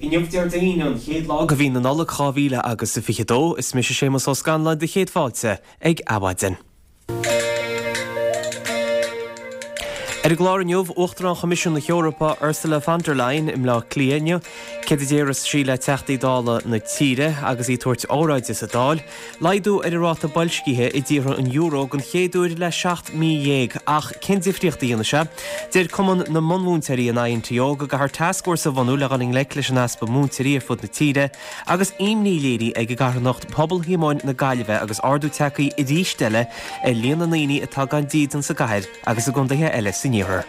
Inniu Déardaoin, an chéad lá de mhí na Nollag 2000 agus 22. Is mise Séamus Ó Scanláin do chéad fáilte ag Adhmhaidin. Ar an gclár inniu, Uachtarán Choimisiún na hEorpa Ursula von der Leyen i mBleá Cliath inniu. Céard a déarfas sí le Teachtaí Dála na tíre agus í ag tabhairt óráide sa Dáil? Laghdú ar an ráta boilscithe i dtíortha an euro den chéad uair le 17 mí ach cén difríocht a dhéanfaidh sé? Deir Cumann na mBunmhúinteoirí, an INTO, go gcaithfear tascfhórsa a bhunú le dhul i ngleic leis an easpa múinteoirí ar fud na tíre agus imní léirithe ag an gcarthanacht Pobal Shíomóin na Gaillimhe agus ardú tagtha arís eile ar líon na ndaoine atá gan dídean sa gcathair agus i gcontaetha eile san iarthar.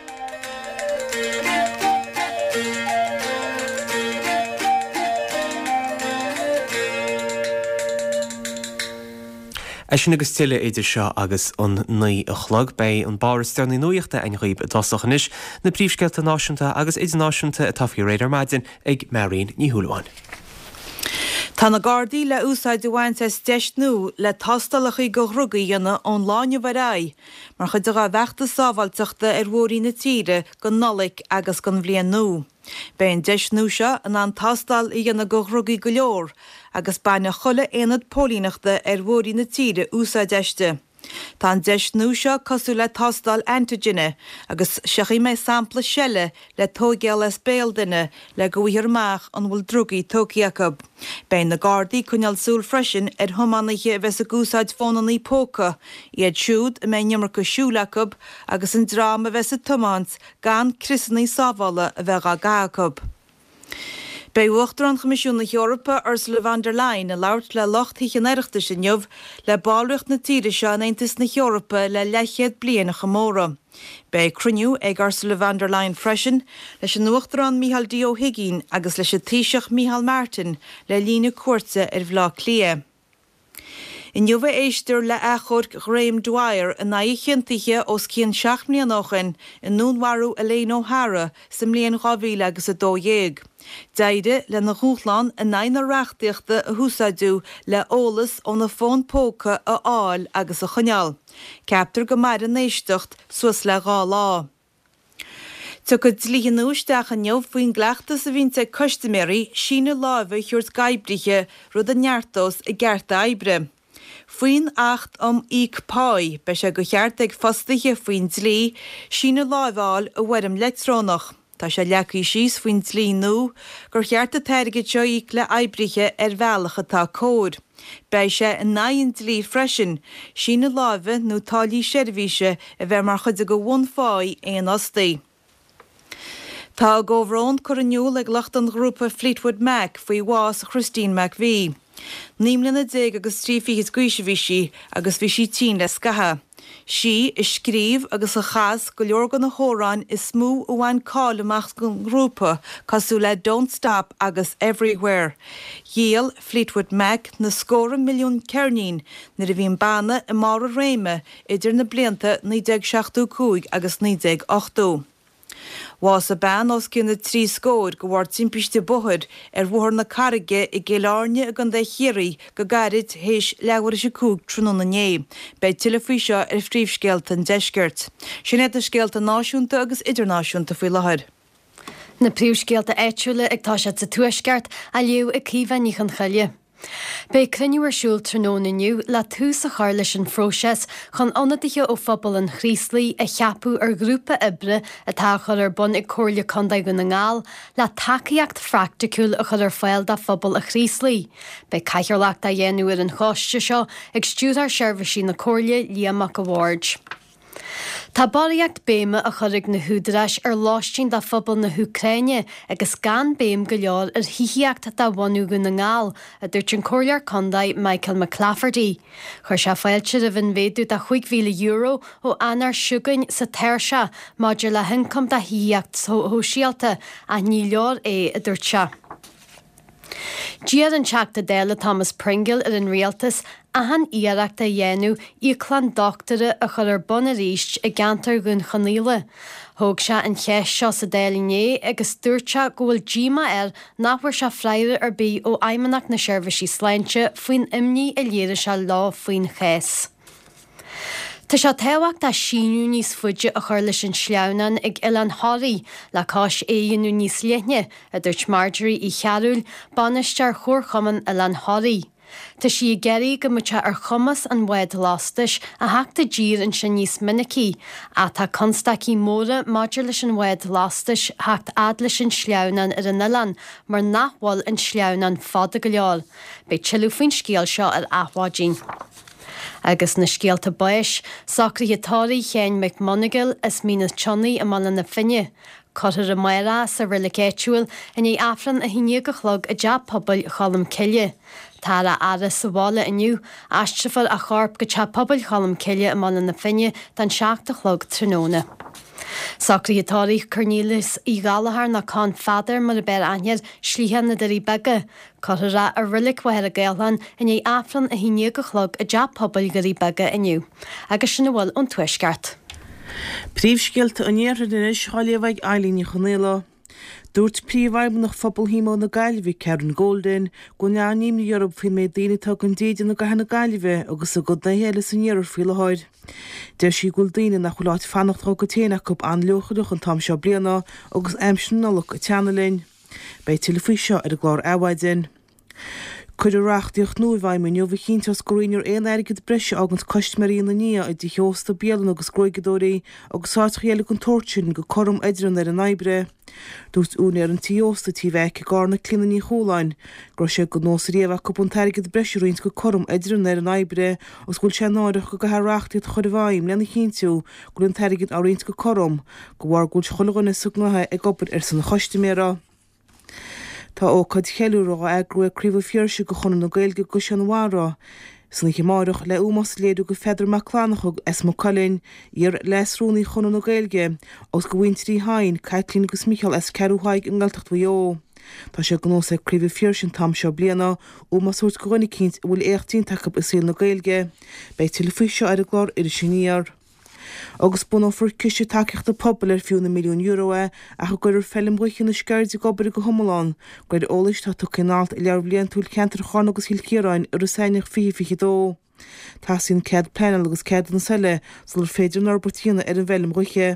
É sin agus tuilleadh idir seo agus an 9 a chlog. Beidh an barr is deireanaí nuachta againn dhaoibh i dtosach anois, na príomhscéalta náisiúnta agus idirnáisiúnta atá faoi réir ar maidin ag Máirín Ní Shúilleabháin. Tá na Gardaí le úsáid a bhaint as deis nua le tástálacha do dhrugaí a dhéanamh ón lá inniu ar aghaidh mar chuid dá bhfeachtas sábháilteachta ar bhóithrí na tíre don Nollaig agus don Bhliain Nua. Beidh an deis nua seo in ann tástáil a dhéanamh do dhrugaí go leor agus bainfidh chuile aonad póilíneachta ar bhóithrí na tíre úsáid aisti. Tá an deis nua seo cosúil le tástáil antigine agus siocfaidh mé sampla seile le tóigéal as béal duine le go bhfaighfear amach an bhfuil drugaí tógtha acu. Beidh na Gardaí ag coinneáil súil freisin ar thiománaithe a bheas ag úsáid fónannaí póca, iad siúd a mbeidh an iomarca siúil acu agus an dream a bheas ag tiomáint gan criosannaí sábhála a bheith dhá gcaitheamh acu. Beidh Uachtarán Choimisiún na hEorpa, Ursula von der Leyen, ag labhairt le lucht Thithe an Oireachtais inniu le ballraíocht na tíre seo in Aontas na hEorpa le leathchéad bliain a chomóradh. Beidh cruinniú ag Ursula von der Leyen freisin leis an Uachtarán Micheál D Ó hUigínn agus leis an Taoiseach Micheál Martin le linn a cuairte ar Bhaile Átha Cliath. Inniu a éistear le achomharc Ghraham Dwyer in aghaidh a chiontaithe os cionn 7 mbliana ó shin i ndúnmharú Elaine O'Hara sa mbliain 2000 agus 12. D'éirigh lena dhúshlán in aghaidh na reachtaíochta a húsáideadh le eolas óna fón póca a fháil agus a choinneáil. Ceaptar go mairfidh an éisteacht suas le 2 lá. Tiocfaidh dlíthe nua isteach inniu faoin gcleachtas a bhíonns ag custaiméirí síneadh láimhe a thabhairt d'oibrithe, rud a neartós a gcearta oibre. Faoin Acht um Íoc Páí, beidh sé de cheart ag fostaithe faoin dlí síneadh láimhe a fháil i bhfoirm leictreonach. Tá sé leagtha síos faoin dlí nua gur cheart an t-airgead seo a íoc le oibrithe ar bhealach atá cóir. Beidh sé in aghaidh an dlí freisin síneadh láimhe nó táillí seirbhíse a bheith mar chuid de bhunpháí aon fhostaí. Tá a gcomhbhrón curtha in iúl ag lucht an ghrúpa Fleetwood Mac faoi bhás Christine McVie. 19 mbliana agus 3 fichid d'aois a bhí sí agus bhí sí tinn le scaitheamh. Sí a scríobh agus a chas go leor de na hamhráin is mó a bhain cáil amach don ghrúpa, cosúil le Don't Stop agus Everywhere. Dhíol Fleetwood Mac na scórtha milliún ceirnín nuair a bhí an banna i mbarr a réime idir na blianta 1975 agus 1980. Bhásaigh bean os cionn na dtrí scór de bharr timpiste bóthair ar Bhóthar na Carraige i gCill Airne i gContae Chiarraí go gairid théis leathuair théis a 5 tráthnóna inné. Beidh tuilleadh faoi seo ar Phríomhscéalta an Deiscirt. Sin iad na scéalta náisiúnta agus idirnáisiúnta faoi láthair. Na príomhscéalta áitiúla ag toiseacht sa Tuaisceart á léamh ag Caoimhe Ní Chonchoille. Beidh cruinniú ar siúl tráthnóna inniu le tús a chur leis an phróiseas chun ionadaithe ó phobal an Chraoslaigh a cheapadh ar ghrúpa oibre atá á chur ar bun ag Comhairle Contae Dhún na nGall le tacaíocht phraiticiúil a chur ar fáil do phobal an Chraoslaigh. Beidh cathaoirleacht á dhéanamh ar an choiste seo ag Stiúrthóir Seirbhísí na Comhairle, Liam Mac a' Bhaird. Tá barraíocht béime á chur ag na húdaráis ar lóistín do phobal na hÚcráine agus gan béim go leor ar thithíocht do bhunú Dhún na nGall, a dúirt an Comhairleoir Contae Michael McClafferty. Chuir sé fáilte roimh an mhéadú de €5,000 ó Eanáir seo chugainn sa tairseach maidir le hioncam do thithíocht shóisialta ach ní leor é, a dúirt sé. D'iarr an Teachta Dála Thomas Pringle ar an Rialtas achan iarracht a dhéanamh íoclann dochtúra a chur ar bun arís i gceantar Dhún Chonaill. Thóg sé an cheist seo sa Dáil inné agus dúirt sé go bhfuil díomá air nach bhfuair sé freagra ar bith ó Fheidhmeannacht na Seirbhísí Sláinte faoin imní a léirigh sé leo faoin chás. Tá sé tábhachtach síneadh níos faide a chur leis an sleamhnán ag Oileán Thoraí le cois é a dhéanamh níos leithne, a dúirt Marjorie Uí Chearúil, bainisteoir Chomharchumann Oileán Thoraí. Tá sí ag iarraidh go mbeadh sé ar chumas an bhád lastais a theacht i dtír ansin níos minicí, ach tá constaicí móra maidir leis an bhád lastais theacht fhad leis an sleamhnán ar an oileán mar nach bhfuil an sleamhnán fada go leor. Beidh tuilleadh faoin scéal seo ar Adhmhaidin. Agus na scéalta báis, socruithe tórraimh Sheáin Mhic Monagail as Mín an tSionnaigh i mBaile na Finne. Cuirfear amárach é sa reilig áitiúil i ndiaidh Aifreann 11 a chlog i dTeach Pobail Cholm Cille. Táthar á fhaire sa bhaile inniu. Aistreofar a chorp go Teach Pobail Cholm Cille i mBaile na Finne don 7 a chlog tráthnóna. Socruithe tórraimh Cornelius Uí Ghallchóir nó Con Pheadair mar ab fhearr aithne air, Slí na Doirí Beaga. Cuirfear é i Reilig Mhachaire Gathlán i ndiaidh Aifreann 11 a chlog i dTeach Pobail Dhoirí Beaga inniu. Agus sin a bhfuil ón Tuaisceart. Príomhscéalta an Iarthair anois á léamh ag Eileen Ní Chonaola. Dúirt Príomhfheidhmeannach Phobal Shíomó na Gaillimhe, Karen Golden, go bhfuil an-imní orthu faoin méid daoine atá gan dídean i gcathair na Gaillimhe agus i gcontaetha eile san iarthar faoi láthair. Deir sí go bhfuil daoine nach bhfuil áit fanacht dá gcuid féin acu an-leochaileach an t-am seo bliana agus aimsir na Nollag ag teannadh linn. Beidh tuilleadh faoi seo ar an gclár Adhmhaidin. Cuireadh reachtaíocht nua i bhfeidhm inniu a chinnteos go roinnfear aon airgead breise a fháganns custaiméirí ina ndiaidh i dtithe ósta, bialanna agus gruaigeadóirí agus áiteacha eile den tsórt sin go cothrom idir an fhoireann oibre. Dúirt úinéir an tí ósta Tí Mheaic i gCarna, Clíona Ní Chualáin, go raibh sé de nós riamh acu an t-airgead breise a roinnt go cothrom idir an fhoireann oibre agus go bhfuil sé náireach go gcaithfear reachtaíocht a chur i bhfeidhm lena chinntiú go bhfuil an t-airgead á roinnt go cothrom de bharr go bhfuil chuile dhuine sa ngnótha ag obair ar son an chustaiméara. Tá ócáid cheiliúrtha á eagrú ag Craobh an Phiarsaigh de Chonradh na Gaeilge i gCaisleán Bharra san oíche amárach le ómós a léiriú do Pheadar Mac Fhlannchadha as Maigh Cuilinn, iar-Leas-Rúnaí Chonradh na Gaeilge, agus do mhuintir Uí Chadhain, Caitlín agus Micheál as Ceathrú Thaidhg i nGaeltacht Mhaigh Eo. Tá sé de nós ag Craobh an Phiarsaigh an t-am seo bliana ómós a thabhairt do dhuine eicínt a bhfuil éacht déanta acu i saol na Gaeilge. Beidh tuilleadh faoi seo ar an gclár Iris Aniar. Agus bunófar ciste tacaíochta pobail ar fiú na milliúin euro é ach a gcuirfear Feilm Dhúiche na Sceirde ag obair go hiomlán, de réir eolais atá tugtha in alt i Leabhar Bliantúil Cheantar Charna agus Chill Chiaráin i rith Samhna 2022. Teastaíonn cead pleanála agus ceadúnas eile sular féidir an fhorbairt a dhéanamh ar an bhfeilm dhúiche.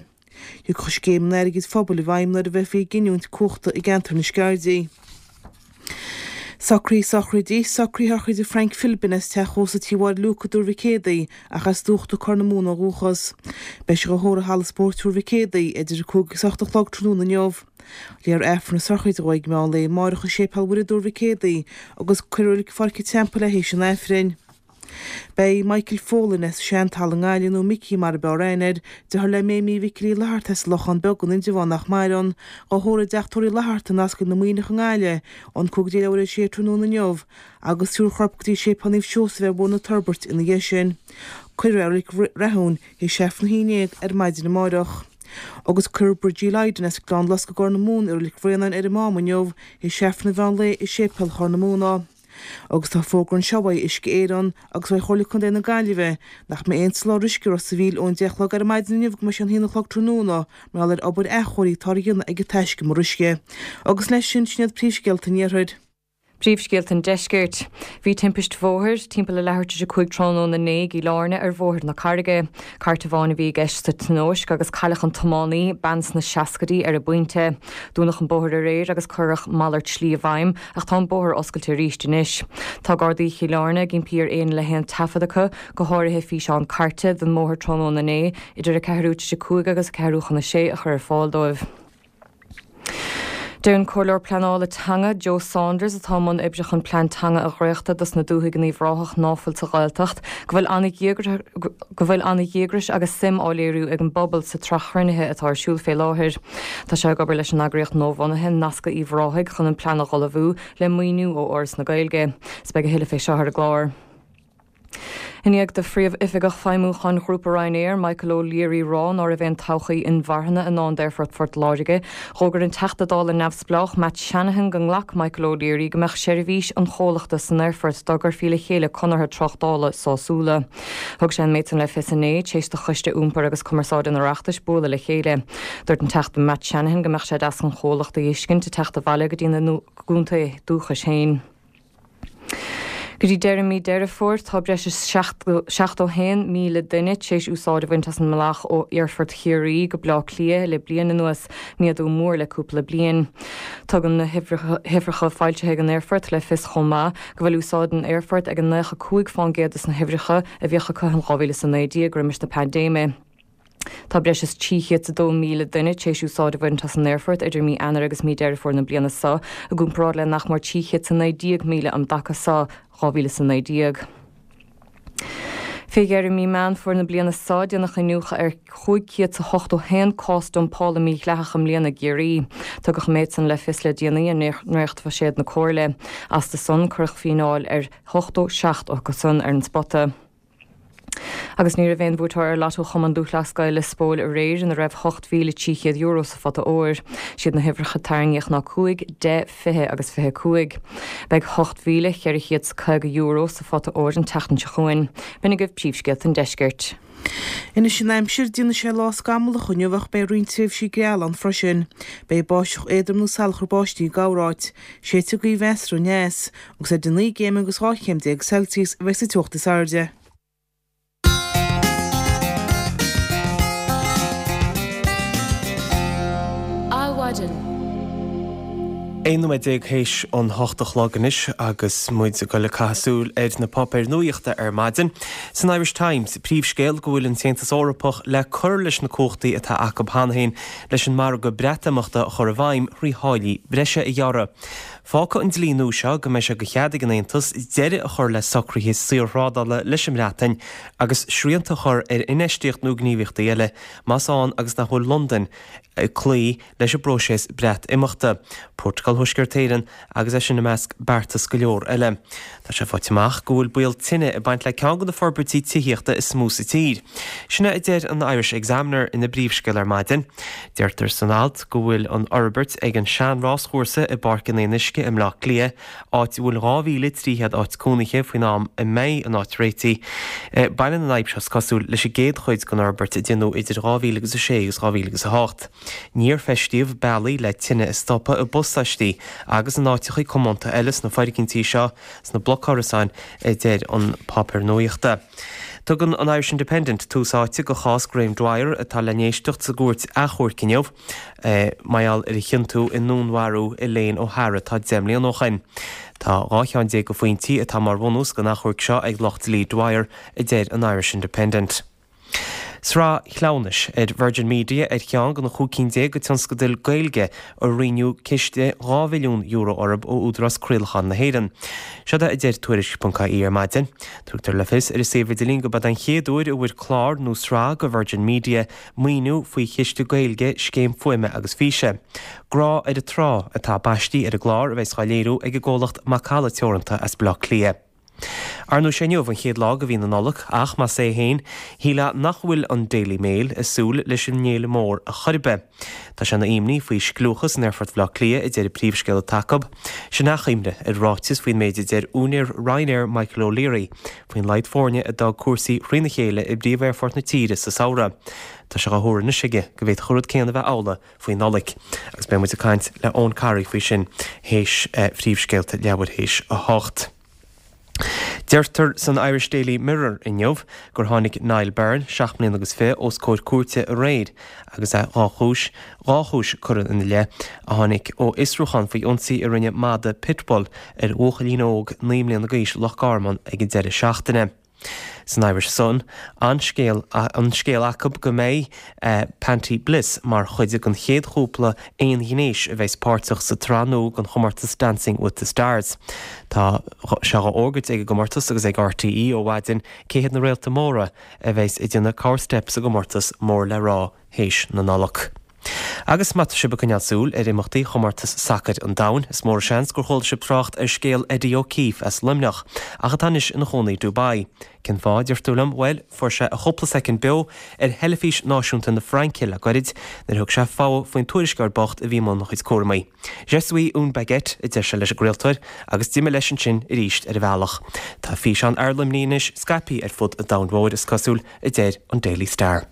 Thiocfadh scéim an airgid phobail i bhfeidhm nuair a bheifí ag giniúint cumhachta i gceantar na Sceirde. Socruithe sochraide, Socruithe sochraide Frank Philbin as teach ósta Tí Mháire Luke i dTuar Mhic Éadaigh ach as Dúchta Corr na Móna ó dhúchas. Beidh sé dhá thórramh i Halla Spóirt Thuar Mhic Éadaigh idir 5 agus 8 a chlog tráthnóna inniu. Léifear Aifreann na sochraide dhó ag meán lae amáireach i Séipéal Mhuire i dTuar Mhic Éadaigh agus cuirfear i Reilig Pháirc an Teampaill é théis an Aifrinn. Beidh Michael Folan as Seantalamh i nGaillimh, nó Micí mar ab fhearr aithne air, deartháir le Méimí Mhicil Uí Fhlatharta as an Lochán Beag in Indreabhán nach maireann, dhá thórramh i dteach tórraimh Uí Fhlatharta in Ascaill na Muimhneach i nGaillimh ón 6:25 tráthnóna inniu agus tabharfar a chorp go dtí Séipéal Naomh Seosamh ar Bhóthar na Toirbhirte ina dhiaidh sin. Cuirfear é i Reilig Rathúin théis Aifreann a 11 ar maidin amáireach. Agus cuirfear Bridgie Lydon as Gleann Losc i gCorr na Móna i Reilig Bhraonáin ar an Mám inniu théis Aifreann an mheán lae i Séipéal Chorr na Móna. Agus tá fógra anseo uaidh Uisce Éireann agus uaidh Chomhairle Contae na Gaillimhe nach mbeidh aon soláthar uisce Ros a' Mhíl ón 10 a chlog ar maidin inniu go mbeidh sé an haon a chlog tráthnóna mar gheall ar obair athchóirithe atá á dhéanamh ag an taiscumar uisce. Agus leis sin, sin iad príomhscéalta an Iarthair. Príomhscéalta an Deiscirt. Bhí timpist bhóthair timpeall a leathuair tar éis a 5 tráthnóna inné i gCill Airne ar Bhóthar na Carraige. Cairt amháin a bhí i gceist sa tionóisc agus cailleadh an tiománaí, bean sna seascaidí, ar an bpointe. Dúnadh an bóthar aréir agus cuireadh malairt slí i bhfeidhm Ach tá an bóthar oscailte arís anois. Tá Gardaí Chill Airne ag impí ar éinne le haon taifead acu, go háirithe físeán cairte, den mbóthar tráthnóna inné idir a ceathrú tar éis a 5 agus a ceathrú chun a sé a chur ar fáil dóibh. Deir an Comhairleoir Pleanála Teanga, Joe Saunders, atá i mbun oibre chun plean teanga a dhréachtadh dos na dúthaigh in Uíbh Ráthach ná fuil sa Ghaeltacht, go bhfuil go bhfuil an-dhíograis agus suim á léiriú ag an bpobal sa tsraith chruinnithe atá ar siúl fé láthair. Tá sé ag obair leis an eagraíocht nuabhunaithe, Nascadh Uíbh Ráthaigh, chun an plean a dh'ullmhú, le maoiniú ó Fhoras na Gaeilge. 'S beidh a thuilleadh fé seo ar an gclár. I ndiaidh do Phríomh-Oifigeach Feidhmiúcháin Ghrúpa Ryanair, Michael O'Leary rá ná raibh aon todhchaí inmharthana i ndán d'Aerfort Phort Láirge, dh'fhógair an Teachta Dála neamhspleách Matt Shanahan go nglac Michael O'Leary go mbeadh seirbhís an chomhlachta san aerfort dá gcuirfí le chéile conartha tráchtála sásúla. Thug sé an méid san le fios inné, tar éis do Choiste Iompair agus Cumarsáide an Oireachtais bualadh le chéile. Dúirt an Teachta Matt Shanahan go mbeadh sé deas an chomhlacht a fheiscint ag teacht abhaile go dtí na gcontae dúchais féin. Go dtí deireadh mí Deireadh Fómhair, tá breis is 71,000 duine tar éis úsáid a bhaint as an mbealach ó Aerfort Chiarraí go Bleá Cliath le bliain anuas, méadú mór le cúpla bliain. Tugann na huimhreacha foilsithe ag an aerfort le fios chomh maith go bhfuil úsáid an aerfoirt ag 95 fán gcéad des na huimhreacha a bhíodh acu in 2019 roimis na paindéime. Tá breis is 302,000 duine tar éis úsáid a bhaint as an aerfort idir mí Eanáir agus mí Deireadh Fómhair na bliana seo, i gcomparáid le nach mór 319,000 um dtaca seo 2019. Fé dheireadh mí Meán Fómhair na bliana seo, déanadh iniúchadh ar 581 cás dumpála mídhleathach i mbliana i gCiarraí. Tugadh an méid san le fios le déanaí i ndréachtbhuiséad na Comhairle. Astu san, cuireadh fíneáil ar 87 acu san ar an spota. Agus ní raibh aon bhuaiteoir ar Lotto Chumann Lúthchleas Gael Lios Póil aréir ina raibh €8,300 sa phota óir. Siad na huimhreacha tarraingíodh ná 5, 10, 20 agus 25. Beidh €8,450 sa phota óir an tseachtain seo chugainn. B'in agaibh príomhscéalta an deiscirt. Anois an aimsir, déanfaidh sé lá scamallach inniu ach beidh roinnt tréimhsí geala ann freisin. Beidh báisteach éadrom nó salachar báistí i gcorráit. Séidfidh gaoth mheasartha aneas. Agus idir 9 gcéim agus 12 chéim Celsius a bheidh sa teocht is airde. Adhmhaidin. 11 nóiméad théis an hocht a chlog anois agus muid ag dul ag caitheamh súil ar na páipéir nuachta ar maidin. San Irish Times, príomhscéal go bhfuil an tAontas Eorpach le cur leis na cumhachtaí atá acu cheana féin leis an margadh Breatimeachta a chur i bhfeidhm thrí tháillí breise a ghearradh. Fágfaidh an dlí nua seo go mbeidh sé de chead ag an Aontas deireadh a chur le socruithe saorthrádála leis an mBreatain agus srianta a chur ar infheistíocht nó gníomhaíochtaí eile más ann agus nach bhfuil Londain ag cloí leis an bpróiseas Breatimeachta, Prótacal Thuaisceart Éireann agus é sin i measc beartas go leor eile. Tá sé faighte amach go bhfuil baol tine ag baint le ceann de na forbairtí tithíochta is mó sa tír. Sin é a deir an Irish Examiner ina bpríomhscéal ar maidin. Deirtear san alt go bhfuil an fhorbairt ag an sean-ráschúrsa i bPáirc an Fhionnuisce i mBleá Cliath, áit a bhfuil 2,300 áit cónaithe faoin am a mbeidh an áit réitithe. Baineann an fhadhb seo, is cosúil, leis an gcéad chuid den fhorbairt a déanadh idir 2006 agus 2008. Níor feistíodh bealaí le tine a stopadh i bpasáistí agus in áiteacha comónta eile sna foirgintí seo, sna blocárasáin, a deir an páipéar nuachta. Tugann an Irish Independent tús áite do chás Graham Dwyer atá le n-éisteacht sa gcúirt achomhairc inniu mar gheall ar a chiontú i ndúnmharú Elaine O'Hara tá 10 mbliana ó shoin. Tá 12 cheann de phointí atá mar bhunús don achomharc seo ag lucht dlí Dwyer, a deir an Irish Independent. Sraith Chleamhnais ar Virgin Media ar cheann de na 15 cinn de tionscadail Gaeilge a roinneadh ciste €2 mhilliún orthu ó Údarás Craolacháin na hÉireann. Seod é a deir Tuairisc.ie ar maidin. Tugtar le fios ar a suíomh idirlín gurb é an chéad uair a bhfuair clár nó sraith de Virgin Media maoiniú faoi chiste Gaeilge Scéim Fuaime agus Físe. Grá ar an Trá atá baistí ar an gclár a bheas á léiriú ag an gcomhlacht Macalla Teoranta as Baile Átha Cliath. Ar ndóigh, sé inniu an chéad lá de mhí na Nollag, ach más ea féin, shílfeá nach bhfuil an Daily Mail ag súil leis an bhféile mór a chor ar bith. Tá sé ina imní faoi scliúchas in Aerfort Bhaile Átha Cliath, a deir an príomhscéal atá acu. Sin achoimre ar ráiteas faoin méid a deir úinéir Ryanair Michael O'Leary faoin laghad foirne a d'fhág cúrsaí thrína chéile i bpríomh-aerfort na tíre sa samhradh. Tá sé á thuar anois aige go bhféadfadh an rud céanna a bheith amhlaidh faoi Nollaig. Agus beidh muid ag caint le Eoin Corry faoi sin théis phríomhscéalta leathuair théis 8. Deirtear san Irish Daily Mirror inniu gur tháinig Niall Byrne, 7 mbliana agus 20, os comhair cúirte aréir agus é dhá chúis, dhá chúis curtha ina leith, a tháinig ó fhiosrúchán faoi ionsaí a rinne madadh pitbull ar bhuachaillín óg 9 mbliana d'aois i Loch Garman ag an deireadh seachtaine. San Irish Sun, an scéal an scéal acu go mbeidh Panti Bliss mar chuid den chéad chúpla aonghnéis a bheas páirteach sa tsraith nua den chomórtas Dancing with the Stars. Tá sé á fhógairt ag an gcomórtas agus ag RTÉ ó mhaidin cé hiad na réalta móra a bheas ag déanamh corr-steip sa gcomórtas mór le rá théis na Nollag. Agus má tá sibh ag coinneáil súil ar imeachtaí Chomórtas Sacair an Domhain, is mór an seans gur chuala sibh trácht ar scéal Eddie O'Keefe as Luimneach, ach atá anois ina chónaí i Dubai. Cén fáth, a deir tú liom? Bhuel, fuair sé a chúpla soicind beo ar theilifís náisiúnta na Fraince le goirid nuair a thug sé fogha faoin tuairisceoir bocht a bhí i mbun a chuid cúramaí. Je suis une baguette, a deir sé leis an gcraoltóir, agus d'imigh leis ansin arís ar a bhealach. Tá físeán fhear Luimnigh anois scaipthe ar fud an domhain mhóir, is cosúil, a deir an Daily Star.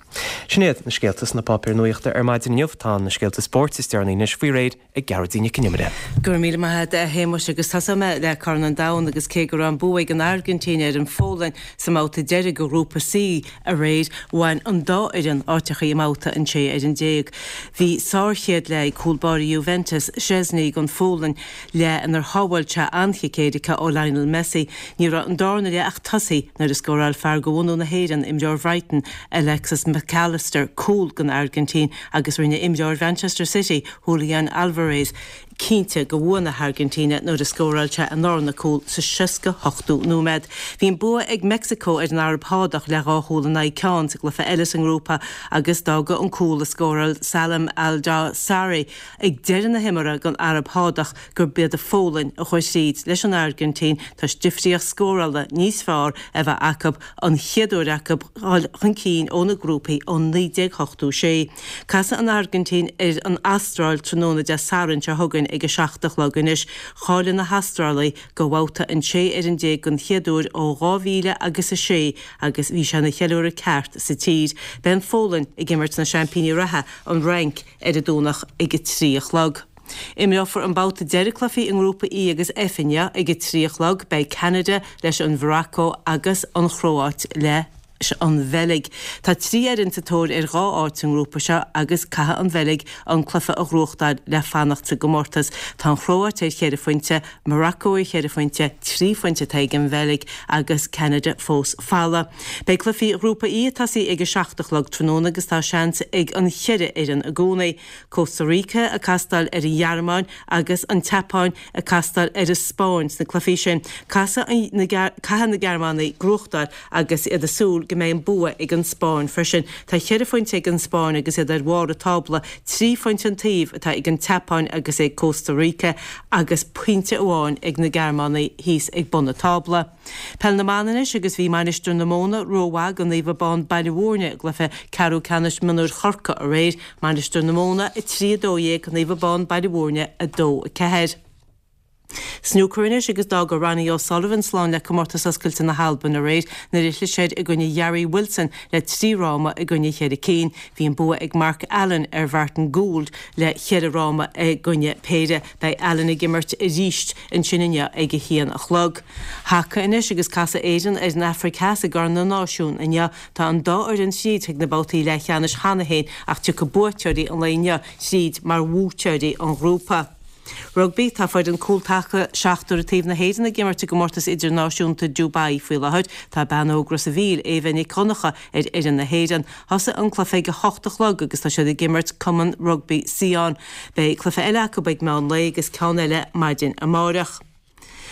Sin iad na scéalta sna páipéir nuachta ar maidin inniu. inniu. Tá na scéalta spóirt is deireanaí anois faoi réir ag Gearóidín Nic Con Iomaire. Go raibh míle maith agat, a Shéamuis, agus tosóidh mé le Corn an Domhain agus cé go raibh an bua ag an Airgintín ar an Pholainn sa mbabhta deiridh de Ghrúpa C aréir, bhain an dá fhoireann áiteachaí i mbabhta an 16 fhoireann. Bhí sár-chéad leath ag cúl báire Juventus, Szczesny don Pholainn, leath inar shábháil sé an-chic éirice ó Lionel Messi. Ní raibh an darna leath ach tosaithe nuair a scóráil fear de bhunadh na hÉireann, imreoir Bhrighton, Alexis McAllister, cúl don Airgintín agus rinne imreoir Mhanchester City, Julian Alvarez, cinnte de bhua na hAirgintíne nuair a scóráil sé a ndarna cúl sa 68ú nóiméad. Bhí an bua ag Meicsiceo ar an Araib Shádach le dhá chúl in aghaidh ceann sa gcluiche eile sa ngrúpa agus d'fhág an cúl a scóráil Salem Al Dawsari ag deireadh na himeartha don Araib Shádach gurb iad an Pholainn a chuaigh thríd leis an Airgintín toisc difríocht scórála níos fearr a bheith acu, an chéad uair acu dhul chun cinn ó na grúpaí ó 1986. Casfaidh an Airgintín ar an Astráil tráthnóna Dé Sathairn seo chugainn ag a 7 a chlog anois. Cháiligh na hAstrálaigh do bhabhta an 16 fhoireann den chéad uair ó 2000 agus 6 agus bhí sé ina cheiliúradh ceart sa tír. Beidh an Pholainn ag imirt na seaimpíní reatha, an Fhrainc, ar an Domhnach ag a 3 a chlog. Imreofar an babhta deiridh cluichí i nGrúpa E agus F inniu ag a 3 a chlog. Beidh Ceanada leis an Mhorocco agus an Chróáit leis an Bheilg. Tá 3 fhoireann sa tóir ar dhá áit sa ngrúpa seo agus caithfidh an Bheilg an cluiche a ghnóthachtáil le fanacht sa gcomórtas. Tá an Chróáit ar cheithre phointe, Morocco ar cheithre phointe, 3 phointe atá ag an Bheilg agus Ceanada fós folamh. Beidh cluichí Ghrúpa E ag tosaí ag a 7 a chlog tráthnóna agus tá seans ag an cheithre fhoireann i gcónaí. Costa Rica ag castáil ar an Ghearmáin agus an tSeapáin ag castáil ar an Spáinn sna cluichí sin. Caithfidh na Gearmánaigh gnóthachtáil agus iad ag súil go mbeidh an bua ag an Spáinn freisin. Tá cheithre phointe ag an Spáinn agus iad ar bharr an tábla, 3 phointe an taobh atá ag an tSeapáin agus ag Costa Rica agus pointe amháin ag na Gearmánaigh thíos ag bun an tábla. Peil na mBan anois agus bhí Mainistir na Móna rómhaith do Naomh Abán Baile Mhúirne i gcluiche ceathrú ceannais mionúir Chorcaí aréir, Mainistir na Móna 3, 12, Naomh Abán Baile Mhúirne 2, 4. Snúcar anois agus d'fhága Ronnie O'Sullivan slán le Comórtas Oscailte na hAlban aréir nuair a chlis air i gcoinne Gary Wilson le 3 fhráma i gcoinne cheithre cinn. Bhí an bua ag Mark Allen ar Mhartin Gould le cheithre fhráma i gcoinne péire. Beidh Allen ag imirt arís ansin inniu ag a haon a chlog. Haca anois agus casfaidh Éirinn ar an Afraic Theas i gCorn na Náisiún inniu. Tá an dá fhoireann tríd chuig na babhtaí leathcheannais cheana féin ach tiocfaidh buaiteoirí an lae inniu tríd mar bhuaiteoirí an ghrúpa. Rugbaí, Tá foireann cúltaca seachtar an taobh na hÉireann ag imirt i gcomórtas idirnáisiúnta Dubai faoi láthair. Tá bean óg Ros a' Mhíl, Éabha Nic Dhonncha, ar fhoireann na hÉireann. Thosaigh an cluiche ag a hocht a chlog agus tá siad ag imirt Cumann Rugbaí Sion. Beidh cluiche eile acu ag meán lae agus ceann eile maidin amáireach.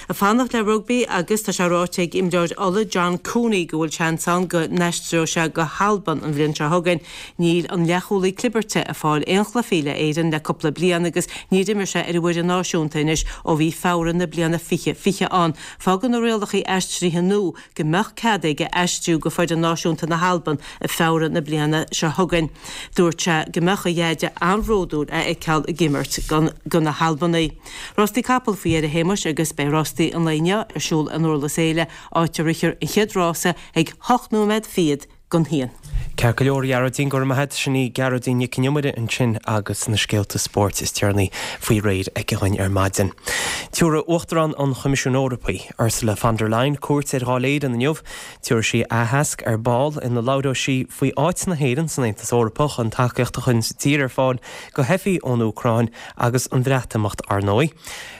Ag fanacht le rugbaí agus tá sé ráite ag imreoir Uladh John Cooney go bhfuil seans ann go n-aistreoidh sé go hAlbain an bhliain seo chugainn. Níl an leathchúlaí clibirte ag fáil aon chluichí le Éirinn le cúpla bliain agus níor imir sé ar an bhfoireann náisiúnta anois ó bhí Feabhra na bliana 2020 ann. Fágann na rialacha aistrithe nua go mbeadh cead aige aistriú go foireann náisiúnta na hAlban i Feabhra na bliana seo chugainn. Dúirt sé go mbeadh a dheaide an-bhródúil é a fheiceáil ag imirt do na hAlbanaigh. Rástaí capall faoi dheireadh a Shéamais agus beidh rástaí an lae inniu ar siúl i nDurlas Éile, áit a rithfear an chéad rása ag hocht nóiméad fichead don haon. Ceart go leor, a Ghearóidín, go raibh maith agat. Sin í Gearóidín Nic Con Iomaire ansin agus na scéalta spóirt is deireanaí faoi réir aici dhuinn ar maidin. Tabharfaidh Uachtarán an Choimisiúin Eorpaigh, Ursula von der Leyen, cuairt ar Dháil Éireann inniu. Tabharfaidh sí aitheasc ar ball ina labhróidh sí faoi áit na hÉireann san Aontas Eorpach, an tacaíocht a chuireann an tír ar fáil do theifigh ón Úcráin agus an Bhreatimeacht, ar ndóigh.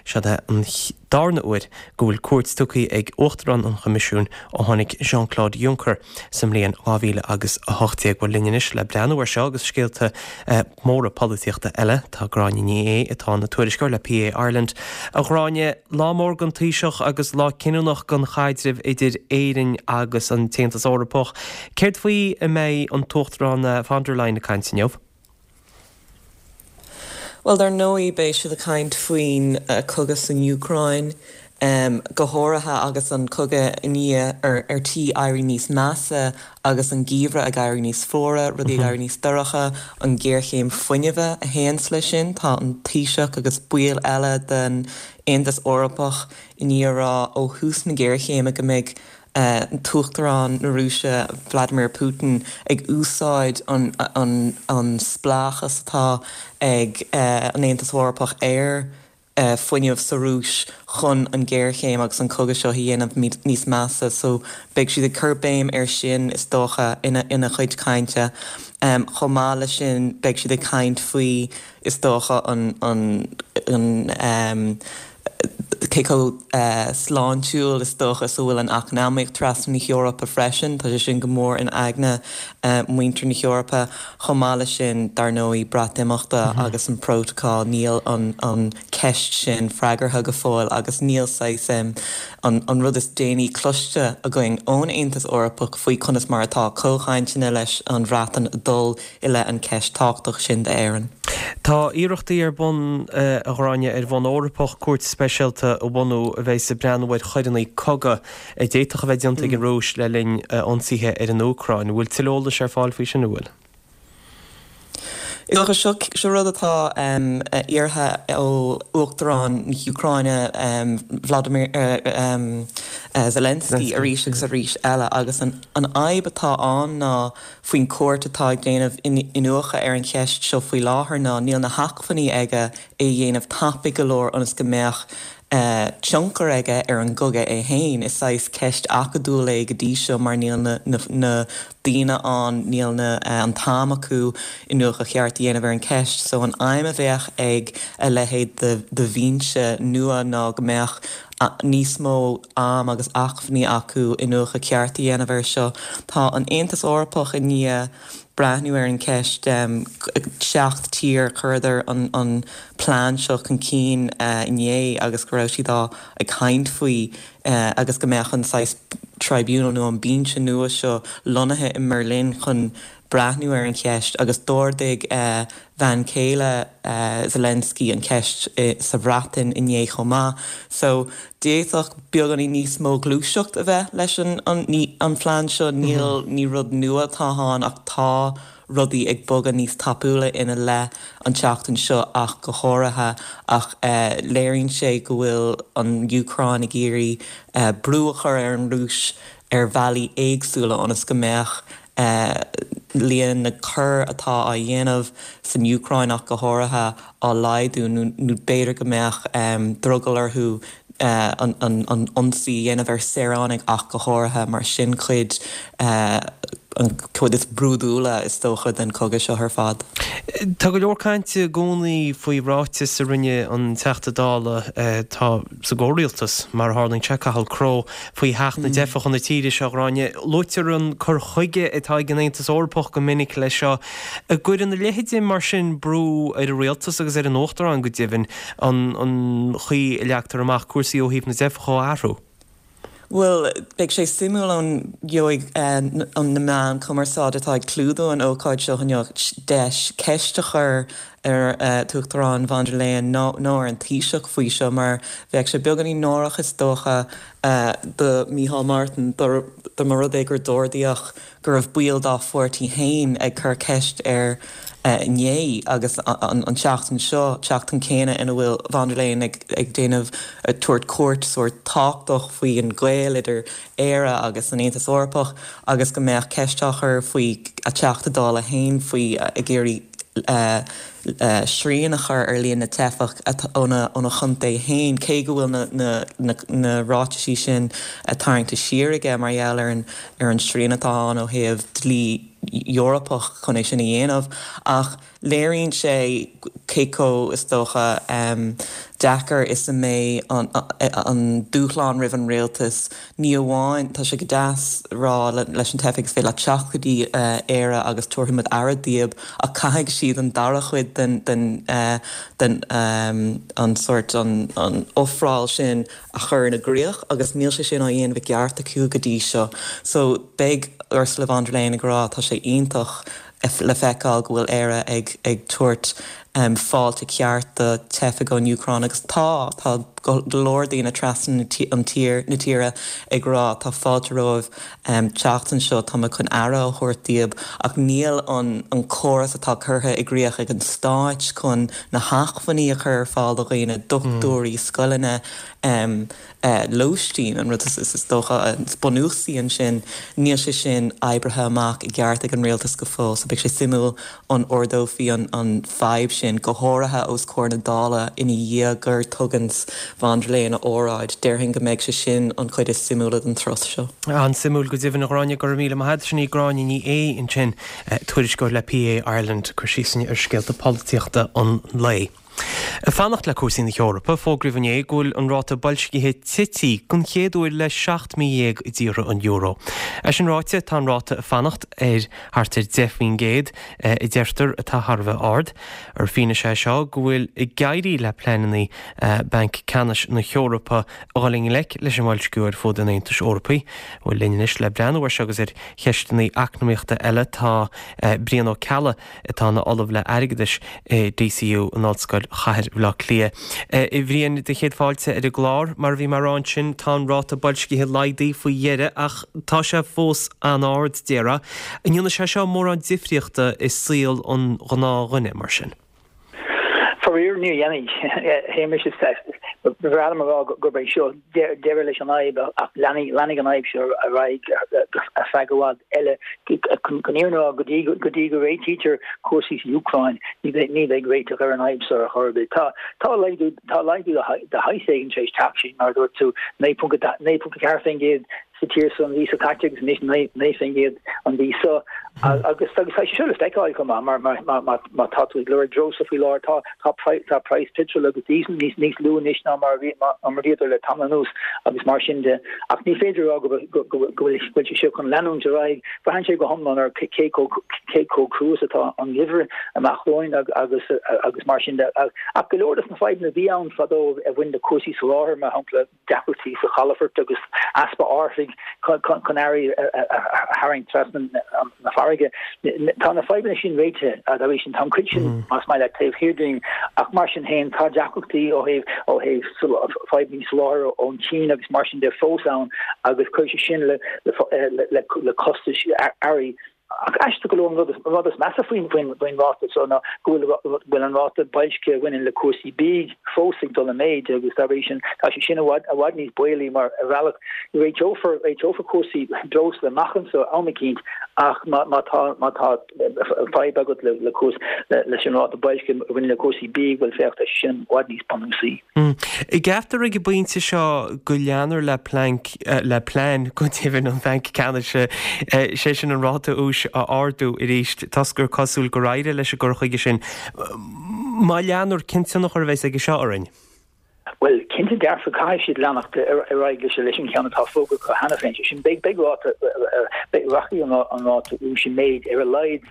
Seod é an darna huair go bhfuil cuairt tugtha ag Uachtarán an Choimisiúin ó tháinig Jean-Claude Juncker sa mbliain 2018. Bhuel, linn anois le breathnú ar seo agus scéalta móra polaitíochta eile, tá Gráinne Ní Aodha atá ina tuairisceoir le PA Ireland. A Ghráinne, lá mór don Taoiseach agus lá cinniúnach don chaidreamh idir Éirinn agus an tAontas Eorpach. Céard faoi a mbeidh an tUachtarán von der Leyen ag caint inniu? Bhuel, dar ndóigh, beidh siad ag caint faoin chogadh san Úcráin, go háirithe agus an cogadh i ndiaidh ar tí éirí níos measa agus an geimhreadh ag éirí níos fuaire, rudaí ag éirí níos dorcha, an ghéarchéim fuinnimh a théanns leis sin. Tá an Taoiseach agus baill eile den Aontas Eorpach i ndiaidh a rá ó thús na géarchéime go mbeidh. an tUachtarán na Rúise Vladimir Putin ag úsáid an spleáchas atá ag an Aontas Eorpach ar fuinneamh sa Rúis chun an ghéarchéim agus an cogadh seo a dhéanamh níos measa. So beidh siad ag cur béim air sin is dócha ina chuid cainte. Chomh maith leis sin beidh siad ag caint faoi is dócha an an cé chomh sláintiúil is dócha is a bhfuil an eacnamaíocht trasna na hEorpa freisin. Tá sé sin go mór in aigne muintir na hEorpa. Chomh maith leis sin, dar ndóigh, Breatimeachta agus an Prótacal, níl an ceist sin freagartha go fóill agus níl saghas an rud is déanaí cloiste againn ón Aontas Eorpach faoi conas mar atá comhchainteanna leis an Bhreatain ag dul i leith an ceist tábhachtach sin d'Éirinn. Tá iarrachtaí ar bun, a Ghráinne, ar bhonn Eorpach cúirt speisialta a bhunú a bheas ag breathnú ar choireanna cogaidh a d'fhéadfadh a bheith déanta ag an Rúis le linn ionsaithe ar an Úcráin. An bhfuil tuilleadh eolais ar fáil faoi sin, an bhfuil? Is dócha, seo, seo rud atá iarrtha ó Uachtarán na hÚcráine Vladimir Zelensky arís agus arís eile agus an fhadhb atá ann ná faoin gcúirt atá ag déanamh iniúchadh ar an cheist seo faoi láthair ná níl na hacmhainní aige é a dhéanamh tapaidh go leor ionas go mbeadh tionchar aige ar an gcogadh é féin. Is saghas ceist acadúil é go dtí seo mar níl na daoine ann, níl na an t-am acu iniúchadh ceart a dhéanamh ar an cheist. So an aidhm a bheadh ag a leithéid de bhinse nua ná go mbeadh níos mó am agus acmhainní acu iniúchadh ceart a dhéanamh air seo. Tá an Aontas Eorpach i ndiaidh breathnú ar an cheist. 7 tír, chuireadar an plean seo chun cinn inné agus go raibh siad á ag caint faoi agus go mbeadh an saghas tribunal nó an binse nua seo lonnaithe i mBerlin chun breathnú ar an cheist agus d'ardaigh bhean chéile Zelensky an cheist sa Bhreatain inné chomh maith. So d'fhéadfadh beagáinín níos mó gluaiseacht a bheith leis an an phlean seo. Níl, ní rud nua atá ann ach tá rudaí ag bogadh níos tapúla ina leith an tseachtain seo ach go háirithe ach léiríonn sé go bhfuil an Úcráin ag iarraidh brú a chur ar an Rúis ar bhealaí éagsúla ionas go mbeadh líon na gcoir atá á dhéanamh san Úcráin ach go háirithe á laghdú nó b'fhéidir go mbeadh drogall orthu an ionsaí a dhéanamh ar saoránaigh ach go háirithe mar sin cuid an chuid is brúidiúla is dócha den chogadh seo ar fad. Tá go leor cainte i gcónaí faoi ráiteas a rinne an Teachta Dála atá sa gcomhrialtas, mar a tharlaíonn sé, Cathal Crowe, faoi theacht na dteifeach chun na tíre seo, a Ghráinne. Luaitear an cur chuige atá ag an Aontas Eorpach go minic leis seo. An gcuireann a leithéid mar sin brú ar an rialtas agus ar an Uachtarán go deimhin an chaoi a leagtar amach cúrsaí ó thaobh na dteifeach a athrú? Bhuel, beidh sé suimiúil an gheobhaidh na meáin chumarsáide atá ag clúdú an ócáid seo inniu deis ceist a chur ar an tUachtarán von der Leyen nó ar an Taoiseach faoi seo mar bheadh sé beagáinín náireach is dócha do Micheál Martin dá mba rud é gur d'ardaíodh go raibh baill dá pháirtí féin ag cur ceist air inné agus an tseachtain seo, tseachtain céanna ina bhfuil von der Leyen ag déanamh, ag tabhairt cuairt sórt tábhachtach faoi an gaol idir Éire agus an Aontas Eorpach agus go mbeadh ceist á chur faoi a Teachta Dála féin faoi ag iarraidh srian a chur ar líon na dteifeach óna chontae féin, cé go bhfuil na ráitisí sin tarraingte siar aige mar gheall ar an ar an srian atá ann ó thaobh dlí Eorpach chun é sin a dhéanamh. Ach léiríonn sé cé chomh, is dócha, deacair is a mbeidh an dúshlán roimh an rialtas. Ní amháin, tá sé go deas rá leis na teifigh is féidir leat teacht go dtí Éire agus tabharfaidh muid aire daoib, ach caithfidh siad an dara chuid den, den, den, an sórt, an ofráil sin a chur ina gcríoch agus níl sé sin á dhéanamh i gceart acu go dtí seo. So beidh Ursula von der Leyen ag rá tá sé iontach le feiceáil go bhfuil Éire ag ag tabhairt. Fáilte ceart do teifigh ón Úcráin agus tá, tá go leor daoine trasna an tír, na tíre ag rá tá fáilte romhaibh teacht anseo, tá muid chun aire a thabhairt daoibh ach níl an an córas atá curtha i gcrích ag an stáit chun na hacmhainní a chur ar fáil do dhaoine, dochtúirí, scoileanna, lóistín, an rud is dócha is bunúsaí ansin, níl sé sin oibrithe amach i gceart ag an rialtas go fóill so beidh sé suimiúil an ardófaí an fadhb sin, go háirithe os comhair na Dála ina dhiaidh gur tugann von der Leyen a óráid. Déarfainn go mbeidh sé sin an chuid is suimiúla den turas seo. An-suimiúil go deimhin, a Ghráinne, go raibh míle maith agat. Sin í Gráinne Ní Aodha ansin, tuairisceoir le PA Ireland, ag cur síos ar scéalta polaitíochta an lae. Ag fanacht le cúrsaí na hEorpa, fógraíodh inné go bhfuil an ráta boilscithe tití den chéad uair le 17 mí i dtíortha an euro. É sin ráite, tá an ráta ag fanacht ar thart ar 10%, a deirtear, atá thar a bheith ard. Ar fianaise é seo go bhfuil ag éirí le pleananna Banc Ceannais na hEorpa a dhul i ngleic leis an mboilsciú ar fud an Aontais Eorpaigh. Bhuel, linn anois le breathnú air seo agus ar cheisteanna eacnamaíochta eile tá Brian Ó Ceallaigh, atá ina Ollamh le Airgeadas i DCU in Ollscoil Chathair Bhaile Átha Cliath. A Bhriain, do chéad fáilte ar an gclár. Mar a bhí mé a rá ansin, tá an ráta boilscithe laghdaithe faoi dheireadh ach tá sé fós an-ard, déarfá. An ndéanfaidh sé seo mórán difríochta i saol an ghnáthdhuine, mar sin? Faraor, ní dhéanfaidh, a Shéamais. Ba bhreá liom a rá gurb é seo deireadh leis an fhadhb ach leanfaidh an fhadhb seo ar aghaidh ar feadh i bhfad eile. Chun an fhírinne a rá, go dtí go réitítear cúrsaí san Úcráin, ní bheidh réiteach ar an fhadhb seo ar chor ar bith. Tá laghdú de shaghas éigin tar éis teacht, sin mar a dúirt tú, 9.4% sa tír seo an mhí seo caite agus anois 9% an mhí seo. Agus tá sé seo le feiceáil chomh maith mar má tá tú ag lorg breosla faoi láthair tá tá tá praghas peitril agus díosail níos níos lú anois ná mar a bhí mar a bhíodar le tamall anuas agus mar sin de. Ach ní féidir a rá go go go bhfuil bhfuil sé seo chun leanúint ar aghaidh. Braitheann sé go hiomlán ar cé chomh cé chomh crua is atá an geimhreadh amach romhainn agus agus mar sin de. Ach go leor de na fadhbanna a bhí ann fadó a bhain le cúrsaí soláthair mar shampla, deacrachtaí sa chalafort agus easpa árthaigh chun earraí a tharraingt trasna na farraige. Tá na fadhbanna sin réitithe dá bhrí sin. Tá an chuid sin, más maith leat, taobh thiar dínn ach mar sin féin tá deacrachtaí ó thaobh ó thaobh fadhbanna soláthair ón tSín agus mar sin de fós ann agus cuirfidh sé sin le le costais earraí. Ach aisteach go leor, an rud is measa faoin ráta seo ná go bhfuil an ráta boilscithe a bhaineann le cúrsaí bídh fós ag dul i méid agus dá bhrí sin tá sé sin i bhfad níos baolaí mar ar bhealach réiteofar réiteofar cúrsaí breosla amach anseo am eicínt ach má tá má tá fadhb agat le leis an ráta boilscithe a bhaineann le cúrsaí bídh bhuel féach tá sé sin i bhfad níos bunúsaí. An gceaptar ag an bpointe seo go leanfar le plean, le plean go deimhin an Bhainc Ceannais, sé sin an ráta úis a ardú arís, toisc gur cosúil gur éirigh leis an gcur chuige sin. Má leanfar, cén tionchar a bheas aige seo orainn? Bhuel, cinnte dearfa caithfidh siad leanacht ar aghaidh leis an cheann atá fógartha acu cheana féin. Sé sin, beidh ráta, rachaidh an ráta úis i méid ar a laghad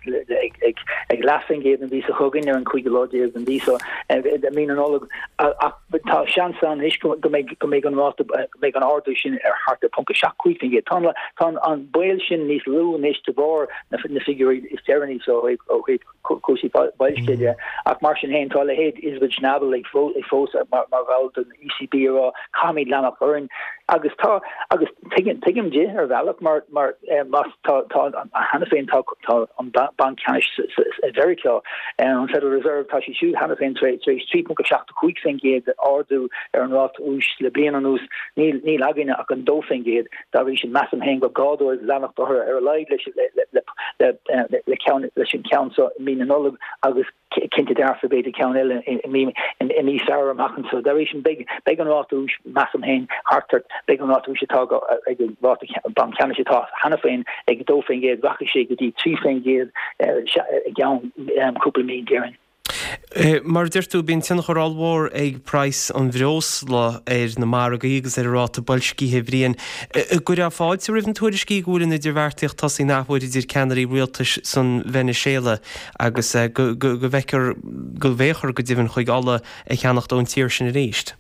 ag leathphointe an mhí seo chugainn ar an cúigiú lá déag den mhí seo, mí na Nollag, ach tá seans ann anois go mbeidh go mbeidh an ráta go mbeidh an ardú sin ar thart ar 0.75%. Tá an tá an baol sin níos lú anois de bharr na na figiúirí is deireanaí seo ó thaobh ó thaobh cúrsaí boilscithe de ach mar sin féin tá a leithéid Isabel Schnabel ag fós mar mar bhall den ECB ag rá caithfimid leanacht orainn agus tá agus tuigim tuigim di ar bhealach mar mar más tá tá cheana féin tá tá an Banc Ceannais i Mheiriceá an Federal Reserve tá siad siúd cheana féin tar éis 3.75% ardú ar an ráta úis le bliain anuas níl níl againne ach an 2% dá bhrí sin measaim féin gur gá dóibh leanacht orthu ar a laghad leis le le le ceann leis an ceann seo i mí na Nollag agus cinnte dearfa b'fhéidir ceann eile i mí i mí Feabhra amach anseo. Dá bhrí sin beidh beidh an ráta úis measaim féin thart ar beidh an ráta úis atá ag an ráta banc ceannais atá cheana féin ag 2% rachaidh sé go dtí 3% i gceann cúpla mí déarfainn. Mar a deir tú, bíonn tionchar ollmhór ag praghas an bhreosla ar na margaí agus ar an ráta boilscithe, a Bhriain. An gcuirfeá fáilte roimh na tuairiscí go bhfuil an idirbheartaíocht tosaithe an athuair idir ceannairí rialtais san Veiniséala agus go bhfeicfear, go bhféachfar go deimhin chuig ola a cheannacht ón tír sin arís.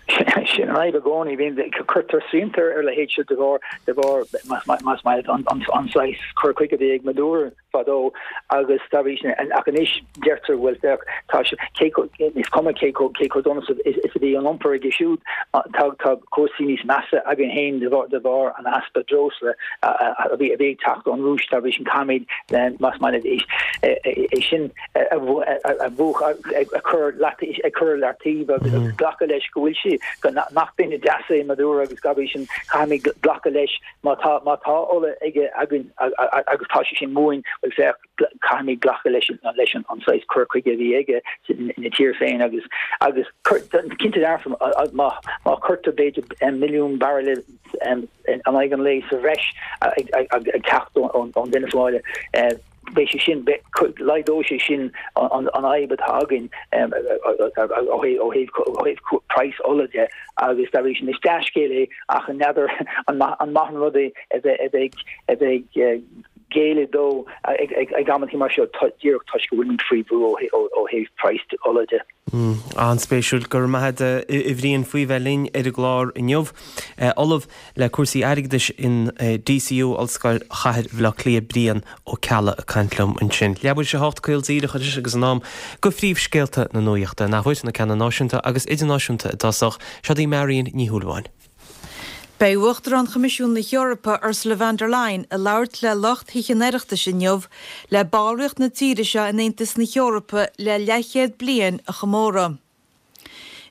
Sin an fhadhb i gcónaí, bíonn, cuirtear srianta ar a leithéid seo de bharr, de bharr, más maith leat, an saghas cur chuige a bhí ag Maduro fadó agus dá bhrí sin, ach anois deirtear, bhuel féach, tá sé, cé chomh, is cuma cé chomh, cé chomh dona is a bhí an iompar aige siúd, tá, tá cúrsaí níos measa againn féin de bharr, de bharr an easpa breosla a bhí, a bhí ag teacht ón Rúis, dá bhrí sin caithfimid, más maith leat, é, é sin a mhúchadh, a chur ag cur ar leataobh agus glacadh leis go bhfuil sé, go nach duine deas é Maduro agus dá bhrí sin caithfimid glacadh leis má tá má tá ola aige againn agus tá sé sin uainn, bhuel féach, caithfimid glacadh leis leis an saghas cur chuige a bhí aige ina tír féin agus agus cinnte dearfa má má chuirtear b'fhéidir milliún bairille in aghaidh an lae sa bhreis ag teacht ón Venezuela. Beidh sé sin, laghdóidh sé sin an fhadhb atá againn ó thaobh praghas ola de agus dá bhrí sin is dea-scéal é ach n'fheadar an maith an rud é a bheith ag géilleadh dó ag amantaí mar seo díreach toisc go bhfuilimid faoi bhrú ó thaobh praghas ola de. An-spéisiúil. Go raibh maith agat a Bhriain faoi bheith linn ar an gclár inniu. Ollamh le cúrsaí airgeadais in DCU, Ollscoil Chathair Bhaile Átha Cliath, Brian Ó Ceallaigh ag caint liom ansin. Leathuair tar éis a hocht caol díreach anois agus in am do phríomhscéalta na nuachta. An athuair, na ceanna náisiúnta agus idirnáisiúnta i dtosach. Seo í Marion Ní Shúilleabháin. Beidh Uachtarán Choimisiún na hEorpa, Ursula von der Leyen, ag labhairt le lucht Thithe an Oireachtais inniu le ballraíocht na tíre seo in Aontas na hEorpa le leathchéad bliain a chomóradh.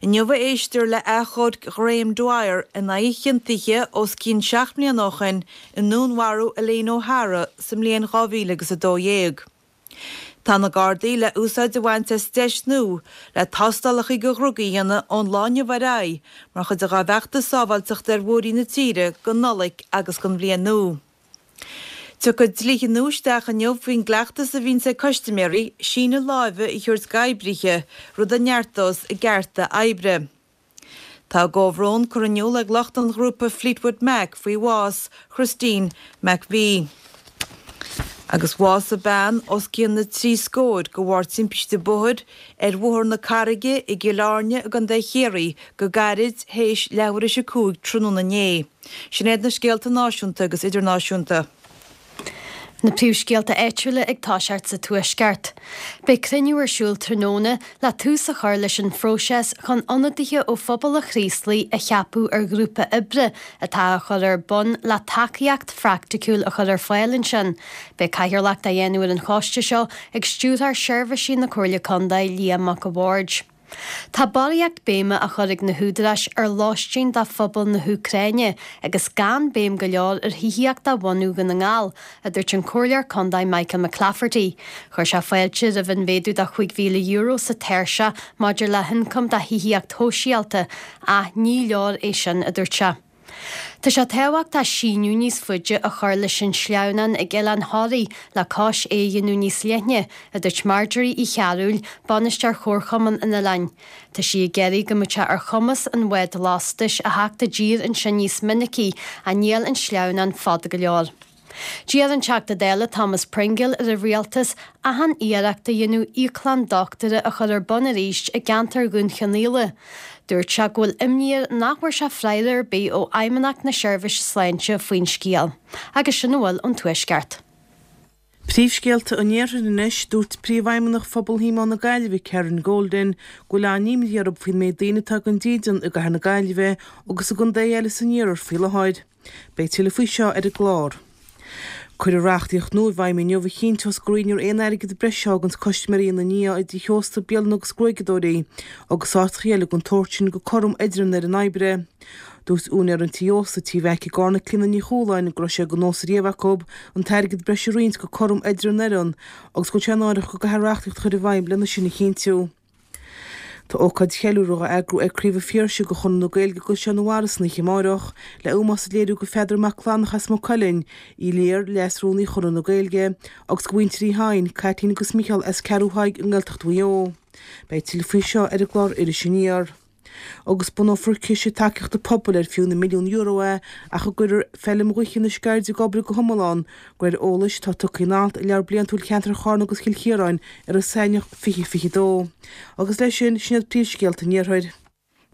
Inniu a éistear le achomharc Ghraham Dwyer in aghaidh a chiontaithe os cionn 7 mbliana ó shin i ndúnmharú Elaine O'Hara sa mbliain 2012. Tá na Gardaí le úsáid a bhaint as deis nua le tástálacha do dhrugaí a dhéanamh ón lá inniu ar aghaidh mar chuid dá bhfeachtas sábháilteachta ar bhóithrí na tíre don Nollaig agus don Bhliain Nua. Tiocfaidh dlíthe nua isteach inniu faoin gcleachtas a bhíonns ag custaiméirí síneadh láimhe a thabhairt d'oibrithe, rud a neartós a gcearta oibre. Tá a gcomhbhrón curtha in iúl ag lucht an ghrúpa Fleetwood Mac faoi bhás Christine McVie. Agus bhásaigh bean os cionn na dtrí scóir de bharr timpiste bóthair ar Bhóthar na Carraige i gCill Airne i gContae Chiarraí go gairid théis leathuair théis 5 tráthnóna inné. Sin iad na scéalta náisiúnta agus idirnáisiúnta. Na príomhscéalta áitiúla ag toiseacht sa Tuaisceart. Beidh cruinniú ar siúl tráthnóna le tús a chur leis an phróiseas chun ionadaithe ó phobal an Chraoslaigh a cheapadh ar ghrúpa oibre atá á chur ar bun le tacaíocht phraiticiúil a chur ar fáil ansin. Beidh cathaoirleacht á dhéanamh ar an choiste seo ag Stiúrthóir Seirbhísí na Comhairle Contae, Liam Mac a' Bhaird. Tá barraíocht béime á chur ag na húdaráis ar lóistín do phobal na hÚcráine agus gan béim go leor ar thithíocht do bhunadh Dhún na nGall, a dúirt an Comhairleoir Contae Michael McClafferty. Chuir sé fáilte roimh an mhéadú de €5,000 sa tairseach maidir le hioncam do thithíocht shóisialta, ach ní leor é sin, a dúirt sé. Tá sé tábhachtach síneadh níos faide a chur leis an sleamhnán ag Oileán Thoraí le cois é a dhéanamh níos leithne, a dúirt Marjorie Uí Chearúil, bainisteoir Chomharchumann an oileáin. Tá sí ag iarraidh go mbeadh sé ar chumas an bhád lastais a theacht i dtír ansin níos minicí ach níl an sleamhnán fada go leor. D'iarr an Teachta Dála Thomas Pringle ar an Rialtas achan iarracht a dhéanamh íoclann dochtúra a chur ar bun arís i gceantar Dhún Chionnaola. Dúirt sé go bhfuil imní air nach bhfuair sé freagra ar bith ó Fheidhmeannacht na Seirbhíse Sláinte faoin scéal. Agus sin a bhfuil ón Tuaisceart. Príomhscéalta an Iarthair anois, Dúirt Príomhfheidhmeannach Phobal Shíomóin na Gaillimhe, Karen Golden, go bhfuil an-imní orthu faoin méid daoine atá gan dídean i gcathair na Gaillimhe agus i gcontaetha eile san iarthar faoi láthair. Beidh tuilleadh faoi seo ar an gclár. Cuireadh reachtaíocht nua i bhfeidhm inniu a chinnteos go roinnfear aon airgead breise a fháganns custaiméirí ina ndiaidh i dtithe ósta, bialanna agus gruaigeadóirí agus áiteacha eile den tsórt sin go cothrom idir an fhoireann oibre. Dúirt úinéir an tí ósta, Tí Mheaic i gCarna, Clíona Ní Chualáin, go raibh sé de nós riamh acu an t-airgead breise a roinnt go cothrom idir an fhoireann agus go bhfuil sé náireach go gcaithfear reachtaíocht a chur i bhfeidhm lena sin a chinntiú. Tá ócáid cheiliúrtha á eagrú ag Craobh an Phiarsaigh de Chonradh na Gaeilge i gCaisleán an Bharraigh san oíche amárach le ómós a léiriú do Pheadar Mac Clanach as Maigh Cuilinn, Uí Lir, Leas-Rúnaí Chonradh na Gaeilge, agus do mhuintir Uí Sheighin, Caitlín agus Micheál as Ceathrú Thaidhg i nGaeltacht Mhaigh Eo. Beidh tuilleadh faoi seo ar an gclár Iris Aniar. Agus bunófar ciste tacaíochta pobail ar fiú na milliúin euro é ach a gcuirfear feilm ghaoithe na Sceirde ag obair go hiomlán, de réir eolais atá tugtha in alt i Leabhar Bliantúil Cheantar Charna agus Chill Chiaráin i Ros Eidhneach 2022. Agus leis sin, sin iad príomhscéalta an Iarthair.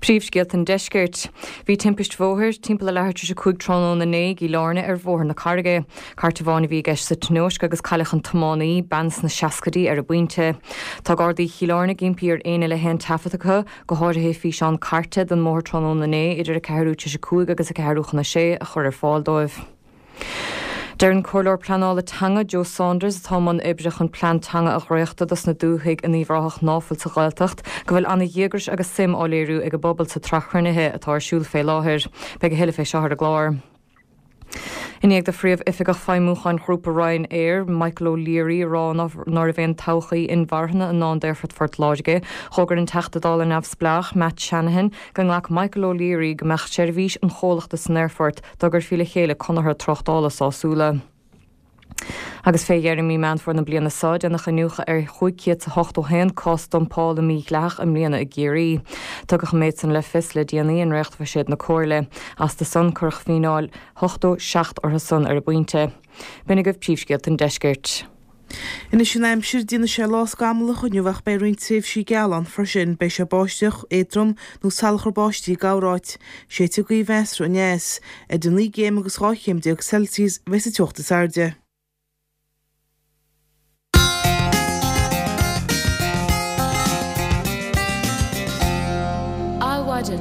Príomhscéalta an Deiscirt. Bhí timpist bhóthair timpeall a leathuair tar éis 5 tráthnóna inné i gCill Airne ar Bhóthar na Carraige. Cairt amháin a bhí i gceist sa tionóisc agus cailleadh an tiománaí, bean sna seascaidí, ar an bpointe. Tá Gardaí Chill Airne ag impí ar éinne le haon taifead acu, go háirithe físeán cairte den mbóthar tráthnóna inné idir a ceathrú tar éis 5 agus a ceathrú chun a sé, a chur ar fáil dóibh. Deir an Comhairleoir Pleanála Teanga, Joe Saunders, atá i mbun oibre chun plean teanga a dhréachtadh dos na dúthaigh in Uíbh Ráthach ná fuil sa Ghaeltacht, go bhfuil ana-dhíograis agus suim á léiriú ag an bpobal sa tsraith chruinnithe atá ar siúl fé láthair. Beidh a thuilleadh fé seo ar an gclár. I ndiaidh do Phríomh-Oifigeach Feidhmiúcháin Ghrúpa Ryanair, Michael O'Leary, a rá ná raibh aon todhchaí inmharthana i ndán d'Aerfort Phort Láirge, d'fhógair an Teachta Dála neamhspleách, Matt Shanahan, go nglac Michael O'Leary go mbeadh seirbhís an chomhlachta san aerfort dá gcuirfí le chéile conartha tráchtála sásúla. Agus fé dheireadh mí Meán Fómhair na bliana seo, déanadh iniúchadh ar 581 cás dumpála mídhleathach i mbliana i gCiarraí. Tugadh an méid san le fios le déanaí i ndréachtbhuiséad na Comhairle. Astu san, cuireadh fíneáil 87 orthu san ar an bpointe. B'in agaibh príomhscéalta an deiscirt. Anois an aimsir, déanfaidh sé lá scamallach inniu ach beidh roinnt tréimhsí geala ann freisin. Beidh sé báisteach, éadrom nó salachar báistí i gcorráit. Séidfidh gaoth mheasartha aneas. Idir 9 gcéim agus 12 chéim Celsius a bheidh sa teocht is airde. Adhmhaidin.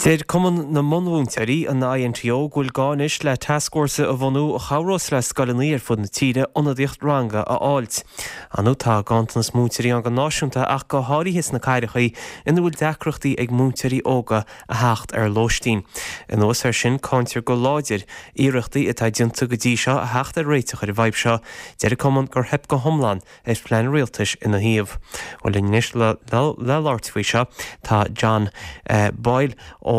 Deir Cumann na mBunmhúinteoirí, an INTO, go bhfuil gá anois le tascfhórsa a bhunú a chabhrós le scoileanna ar fud na tíre ionadaíocht ranga a fháilt. Ar ndóigh tá ganntanas múinteoirí ann go náisiúnta ach go háirithe sna cathracha ina bhfuil deacrachtaí ag múinteoirí óga a theacht ar lóistín. Anuas air sin, cáintear go láidir iarrachtaí atá déanta go dtí seo a theacht ar réiteach ar an bhfadhb seo. Deir an Cumann gur theip go hiomlán ar phlean an rialtais ina thaobh. Bhuel linn anois le labhairt faoi seo tá John Boyle ó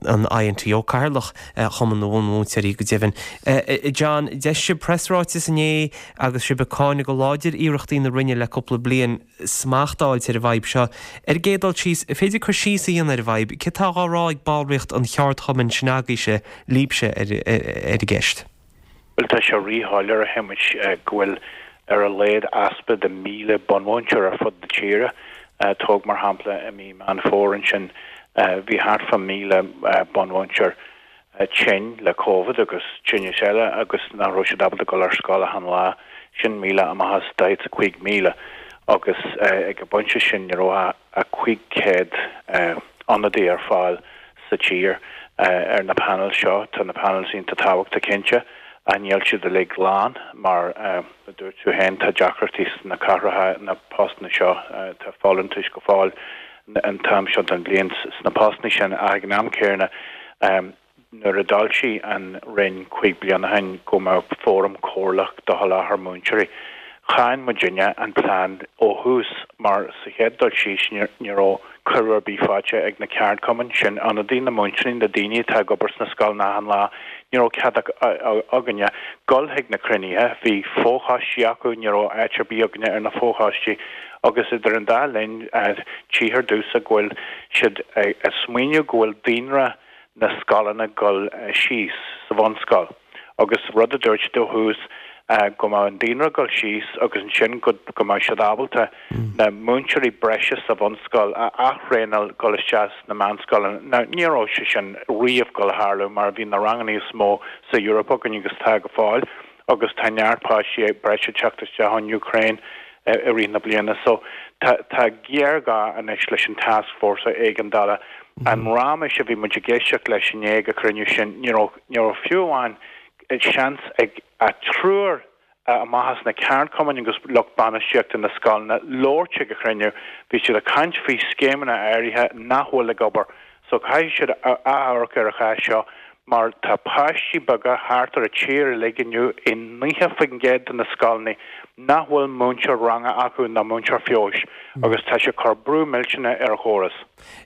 an INTO, Cathaoirleach Chumann na mBunmhúinteoirí go deimhin. John, d'eisigh sibh preasráiteas inné agus sibh ag cáineadh go láidir iarrachtaí na Roinne le cúpla bliain smacht a fháilt ar an bhfadhb seo. Ar an gcéad dul síos, an féidir cur síos a dhéanamh ar an bhfadhb? Céard atá á rá ag ballraíocht an cheardchumainn sin agaibhse, libhse, ar an gceist? Bhuel, tá sé ríshoiléir, a Shéamais, go bhfuil ar a laghad easpa de 1,000 bunmhúinteoir ar fud na tíre. Tóg mar shampla i mí Meán Fómhair ansin, bhí thart fá 1,000 bunmhúinteoir tinn le Covid agus tinneas eile agus nach raibh siad ábalta dul ar scoil achan lá. Sin 1,000 amach as 45,000 agus ag an bpointe sin ní raibh ach 500 ionadaí ar fáil sa tír ar na panels seo. Tá na panels iontach tábhachtach cinnte ach níl siad uilig lán mar a dúirt tú féin tá deacrachtaí sna cathracha na postanna seo. Tá folúntais go fóill an t-am seo den bhliain sna postanna sin ach ag an am céanna Nuair a d'fhoilsigh an Roinn 5 bliana ó shin go mbeadh fóram comhairleach do sholáthar múinteoirí, cháin muidinne an plean ó thús mar sa chéad dul síos ní raibh cuireadh ar bith faighte ag na ceardchumainn, sin ionadaí na múinteoirí, na daoine atá ag obair sna scoileanna achan lá, ní raibh cead againne dul chuig na cruinnithe, bhí fochoistí acu, ní raibh áit ar bith againne ar na fochoistí agus idir an dá linn tchíthear domhsa go bhfuil siad ag smaoineamh go bhfuil daonra na scoileanna dul síos sa bhunscoil agus rud a dúirt siad ó thús go mbeadh an daonra dul síos agus ansin go go mbeadh siad ábalta na múinteoirí breise sa bhunscoil a ath-thraenáil dul isteach sna meánscoileanna. Now ní raibh sé sin riamh dul a tharlú mar bhí na ranganna is mó sa Eoraip againn agus tá go fóill agus tá neart páistí breise ag teacht isteach ón Úcráin i rith na bliana. So tá tá géarghá anois leis an tascfhórsa éigeandála. An raiméis a bhí muid ag éisteacht leis inné ag an chruinniú sin, ní raibh ní raibh fiú amháin seans ag triúr amach as na ceardchumainn agus lucht bainistíochta na scoileanna labhairt ag an chruinniú. Bhí siad ag caint faoi scéimeanna áirithe nach bhfuil ag obair. So caithfidh siad amharc ar an chás seo mar tá páistí beaga thart ar an tír uilig inniu i 90% de na scoileanna nach bhfuil múinteoir ranga acu ná múinteoir feabhais agus tá sé ag cur brú millteanach ar an chóras.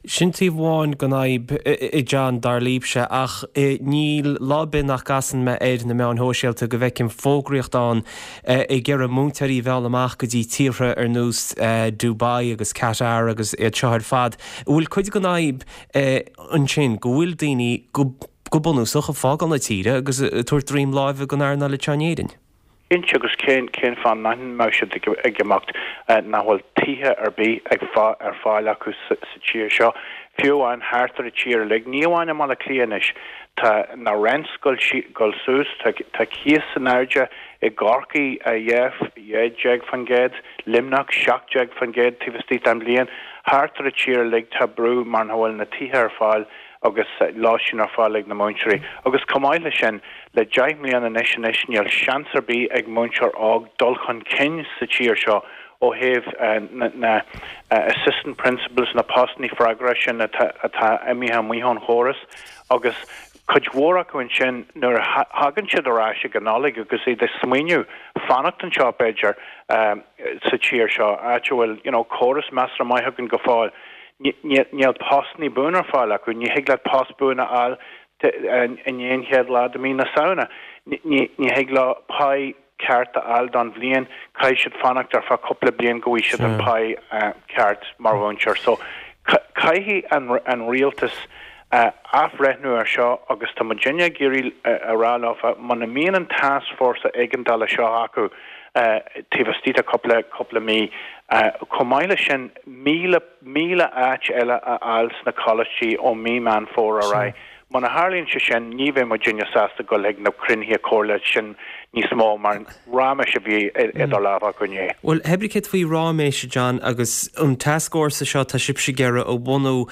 Sin taobh amháin den fhadhb, a John, dar libhse, ach níl lá ar bith nach gcasann mé ar na meáin shóisialta go bhfeicim fógraíocht ann ag iarraidh múinteoirí a mhealladh amach go dtí tíortha ar nós Dubai agus Qatar agus iad seo ar fad. An bhfuil cuid den fhadhb ansin go bhfuil daoine go bunúsach ag fágáil na tíre agus ag tabhairt droim láimhe don earnáil anseo in Éirinn? Cinnte, agus cén cén fáth nach mbeadh siad ag imeacht, nach bhfuil tithe ar bith ag ar fáil acu sa tír seo, fiú amháin thart ar an tír uilig, ní amháin i mBaile Átha Cliath anois. Tá na rents ag dul suas, tá cíos in airde i gCorcaigh 12%, Luimneach 17% taobh istigh den bhliain. Thart ar an tír uilig tá brú mar nach bhfuil na tithe ar fáil agus lóistín ar fáil ag na múinteoirí. Agus chomh maith leis sin, le 10 mbliana anois anois níl seans ar bith ag múinteoir óg dul chun cinn sa tír seo ó thaobh na assistant principals, na postanna freagracha sin atá atá imithe amuigh ón chóras agus cuid mhór acu ansin nuair a thagann siad ar ais ag an Nollaig agus iad ag smaoineamh fanacht anseo b'fhéidir sa tír seo, áit a bhfuil you know córas measartha maith againn go fóill. Níl postanna buan ar fáil acu. Ní thig leat post buan a fháil i ndiaidh an chéad lá de mí na Samhna. Ní thig leo pá ceart a fháil don bhliain. Caithfidh siad fanacht ar feadh cúpla bliain go bhfaighidh siad an pá ceart mar mhúinteoir. So caithfidh an rialtas athbhreithniú ar seo agus tá muidinne ag iarraidh a rá leofa muna mbíonn an tascfhórsa éigeandála seo acu taobh istigh de cúpla cúpla mí, chomh maith leis sin 1,000 áit eile a fháil sna coláistí ó mí Meán Fómhair ar aghaidh. Muna tharlaíonn sé sin, ní bheidh muidinne sásta dul chuig na cruinnithe comhairle sin níos mó mar ráiméis a bhí idir lámha acu inné. Bhuel, pé ar bith céard faoi ráiméis, a John, agus an tascfhórsa seo atá sibhse ag iarraidh a bhunú,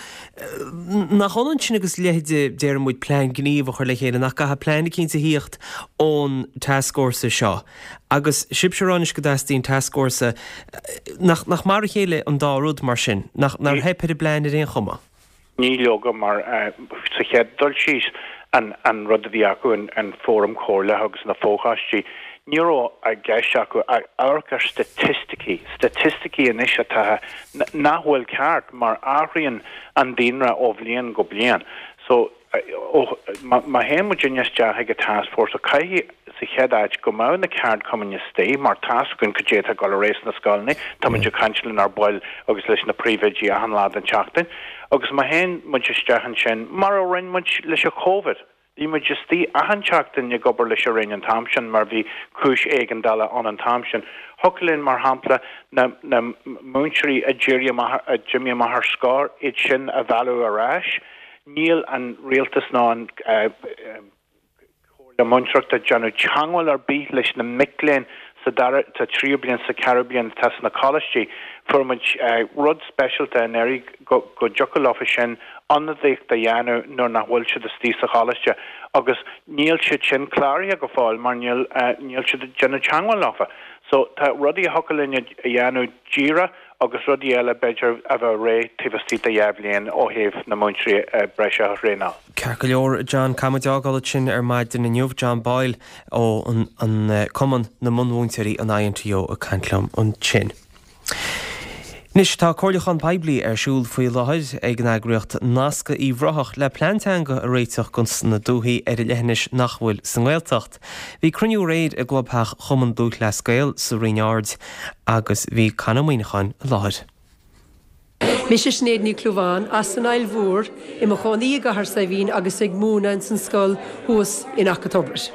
nach ionann sin agus leithéid, déarfaidh muid, plean gnímh a chur le chéile, nach gcaithfidh plean eicínt a thíocht ón tascfhórsa seo? Agus sibhse ag rá anois go dteastaíonn tascfhórsa, nach, nach mar a chéile an dá rud mar sin? Nach, nár theip ar an bplean ar aon chuma? Ní leoga, mar sa chéad dul síos, an, an rud a bhí acu, an, an fóram comhairleach agus na fochoistí, ní raibh i gceist acu ach amharc ar staitisticí, staitisticí anois atá, nach bhfuil ceart mar athraíonn an daonra ó bhliain go bliain. So, má théann muidinne isteach ag an tascfhórsa, caithfidh, sa chéad áit, go mbeadh na ceardchumainn istigh mar tá's againn cad é atá ag dul ar aghaidh sna scoileanna, tá muid ag caint lenár baill agus leis na príomhoidí achan lá den tseachtain. Agus má théann muid isteach ansin, mar a rinne muid leis an Covid, Bhí muid istigh achan tseachtain ag obair leis an Roinn an t-am sin mar bhí cúis éigeandála ann an t-am sin. Thiocfadh linn, mar shampla, na na múinteoirí a d'éirigh amach, a d'imigh amach ar scor, iad sin a mhealladh ar ais. Níl an rialtas ná an Comhairle Múinteoireachta ag déanamh teagmháil ar bith leis na mic léinn sa dara, sa tríú bliain, sa cheathrú bliain atá sna coláistí. Fuair muid rud speisialta anuraidh go go dtiocfadh leofa sin ionadaíocht a dhéanamh nuair nach bhfuil siad istigh sa choláiste agus níl siad sin cláraithe go fóill mar níl níl siad ag déanamh teagmháil leofa. So tá rudaí a thiocfadh linn a dhéanamh díreach agus rudaí eile b'fhéidir a bheadh réidh taobh istigh de dhá bhliain ó thaobh na múinteoirí breise a thraenáil. Ceart go leor, John, caithfidh muid fhágáil ansin ar maidin inniu. John Boyle ó an Cumann na mBunmhúinteoirí, an INTO, ag caint liom ansin. Anois, tá comhairliúchán poiblí ar siúl faoi láthair ag an eagraíocht Nascadh Uíbh Ráthach le plean teanga a réiteach dos na dúthaí ar an leithinis nach bhfuil sa nGaeltacht. Bhí cruinniú aréir i gclubtheach Chumann Lúthchleas Gael sa Rinn Ard agus bhí Con Ó Muíneacháin i láthair. Mise Sinéad Ní Chlúmháin, as an Aill Mhór, i mo chónaí i gCathair Saidhbhín agus ag múineadh ins an scoil thuas in Achadh Tobair.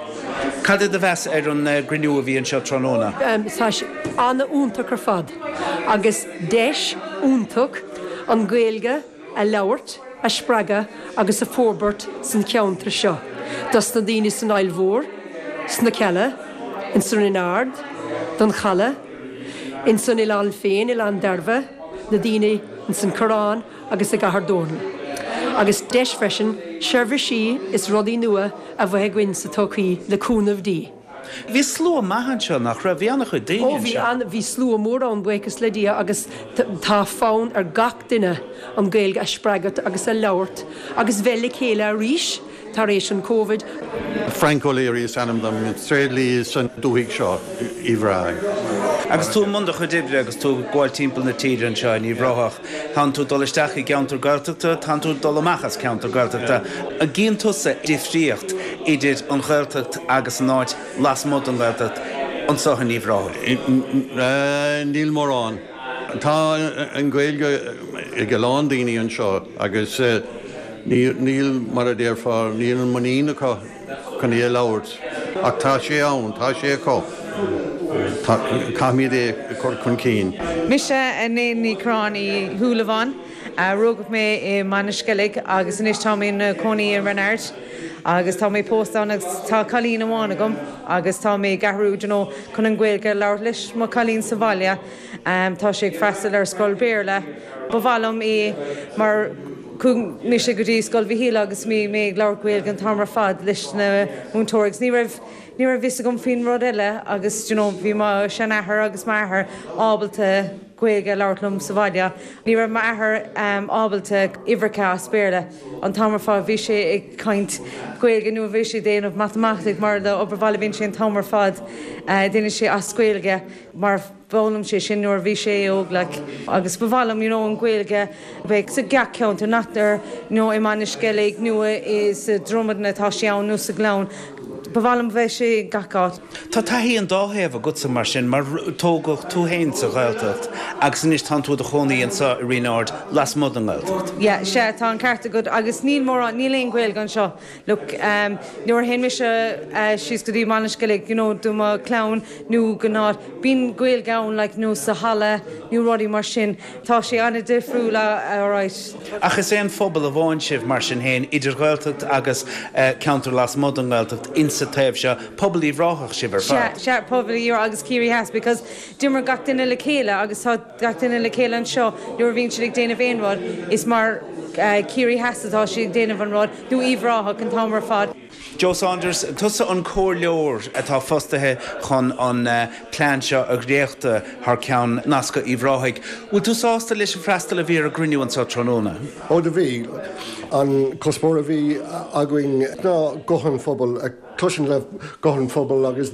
Cad é do mheas ar an gcruinniú a bhí anseo tráthnóna? Tá sé an-fhiúntach ar fad agus deis iontach an Ghaeilge a labhairt, a spreagadh agus a forbairt san cheantar seo dos na daoine san Aill Mhór, sna Cealla, ins an Rinn Ard, don Chaladh, ins an oileán féin, Oileán Dairbhe, na daoine ins an Coireán agus i gCathair Dónall. Agus deis freisin seirbhísí is rudaí nua a bheith againn sa todhchaí le cúnamh Dé. Bhí slua maith anseo, nach raibh? Bhí an-chuid daoine Ó bhí anseo. an, bhí slua mór ann, buíochas le Dia, agus tá fonn ar gach duine an Ghaeilge a spreagadh agus a labhairt agus bheith le chéile arís tar éis an Covid. Frank O'Leary is ainm dom, tréidlia san dúthaigh seo, Uíbh Ráthaigh. Agus tú i mbun do chuid oibre agus tú ag gabháil timpeall na tíre anseo in Uíbh Ráthach, tánn tú ag dul isteach i gceantar Gaeltachta, tánn tú ag dul amach as ceantar Gaeltachta. An gcíonn tusa difríocht idir an Ghaeltacht agus an áit lasmuigh den Ghaeltacht anseo in Uíbh Ráthaigh? Níl mórán. Tá an Ghaeilge ag a lán daoine anseo agus níl, mar a déarfá, níl an muinín acu chun í a labhairt. Ach tá sé ann, tá sé acu. Caithfimid é a chur chun cinn. Mise Elaine Ní Chorráin Uí Shúilleabháin. Rugadh mé i mBaile an Sceilg agus anois tá mé ina cónaí i Rinn Ard agus tá mé pósta ann agus tá cailín amháin agam agus tá mé ag athrú you know chun an Ghaeilge a labhairt leis mo chailín sa bhaile. Tá sé ag freastal ar scoil Béarla. Ba mhaith liom é mar chuaigh mise go dtí Scoil Mhichíl agus bhí mé ag labhairt Gaeilge an t-am ar fad leis na múinteoirí agus ní raibh ní raibh fhios agam faoin rud eile agus you know bhí mo sheanathair agus m'athair ábalta Gaeilge a labhairt liom sa bhaile. Ní raibh m'athair ábalta uimhreacha as Béarla an t-am ar fad, bhí sé ag caint Gaeilge nó bhí sé ag déanamh matamaitic mar le obair bhaile bhíonn sé an t-am ar fad déanann sé as Gaeilge mar D'fhoghlaim sé sin nuair a bhí sé óg like agus ba mhaith liom you know an Ghaeilge a bheith sa gach ceantar not ar you know i mBaile an Sceilg nó i sa Dromadan atá sé ann nó sa Ghleann. Ba mhaith liom bheith sé i gach áit. Tá taithí an dá thaobh agatsa mar sin mar tógadh tú féin sa Ghaeltacht agus anois tánn tú i do chónaí anseo i Rinn Ard lasmuigh den nGaeltacht. Yeah, sea, tá an ceart agat agus níl mórán, níl aon Ghaeilge anseo. Look, nuair a théann mise síos go dtí Baile an Sceilg, you know, do mo chlann nó go n-áit, bíonn Gaeilge ann, like, nó sa halla nó rudaí mar sin. Tá sé an-difriúil, alright. Ach is aon phobal amháin sibh mar sin féin, idir Ghaeltacht agus ceantar lasmuigh den nGaeltacht insa taobh seo, pobal Uíbh Ráthach sibh ar fad. Sea, sea, pobal Uíbh Ráthach agus Ciarraí Theas because d'imir gach duine le chéile agus tá gach duine le chéile anseo nuair a bhíonn siad ag déanamh aon rud, is mar Ciarraí Theas atá siad ag déanamh an rud, nó Uíbh Ráthach an t-am ar fad. Joe Saunders, tusa an comhairleoir atá fostaithe chun an plean seo a dhréachtadh thar ceann Nascadh Uíbh Ráthaigh. Bhfuil tú sásta leis an freastal a bhí ar an gcruinniú anseo tráthnóna? Ó do bhí. An cuspóir a bhí againn ná guth an phobail a cloisint le guth an phobail agus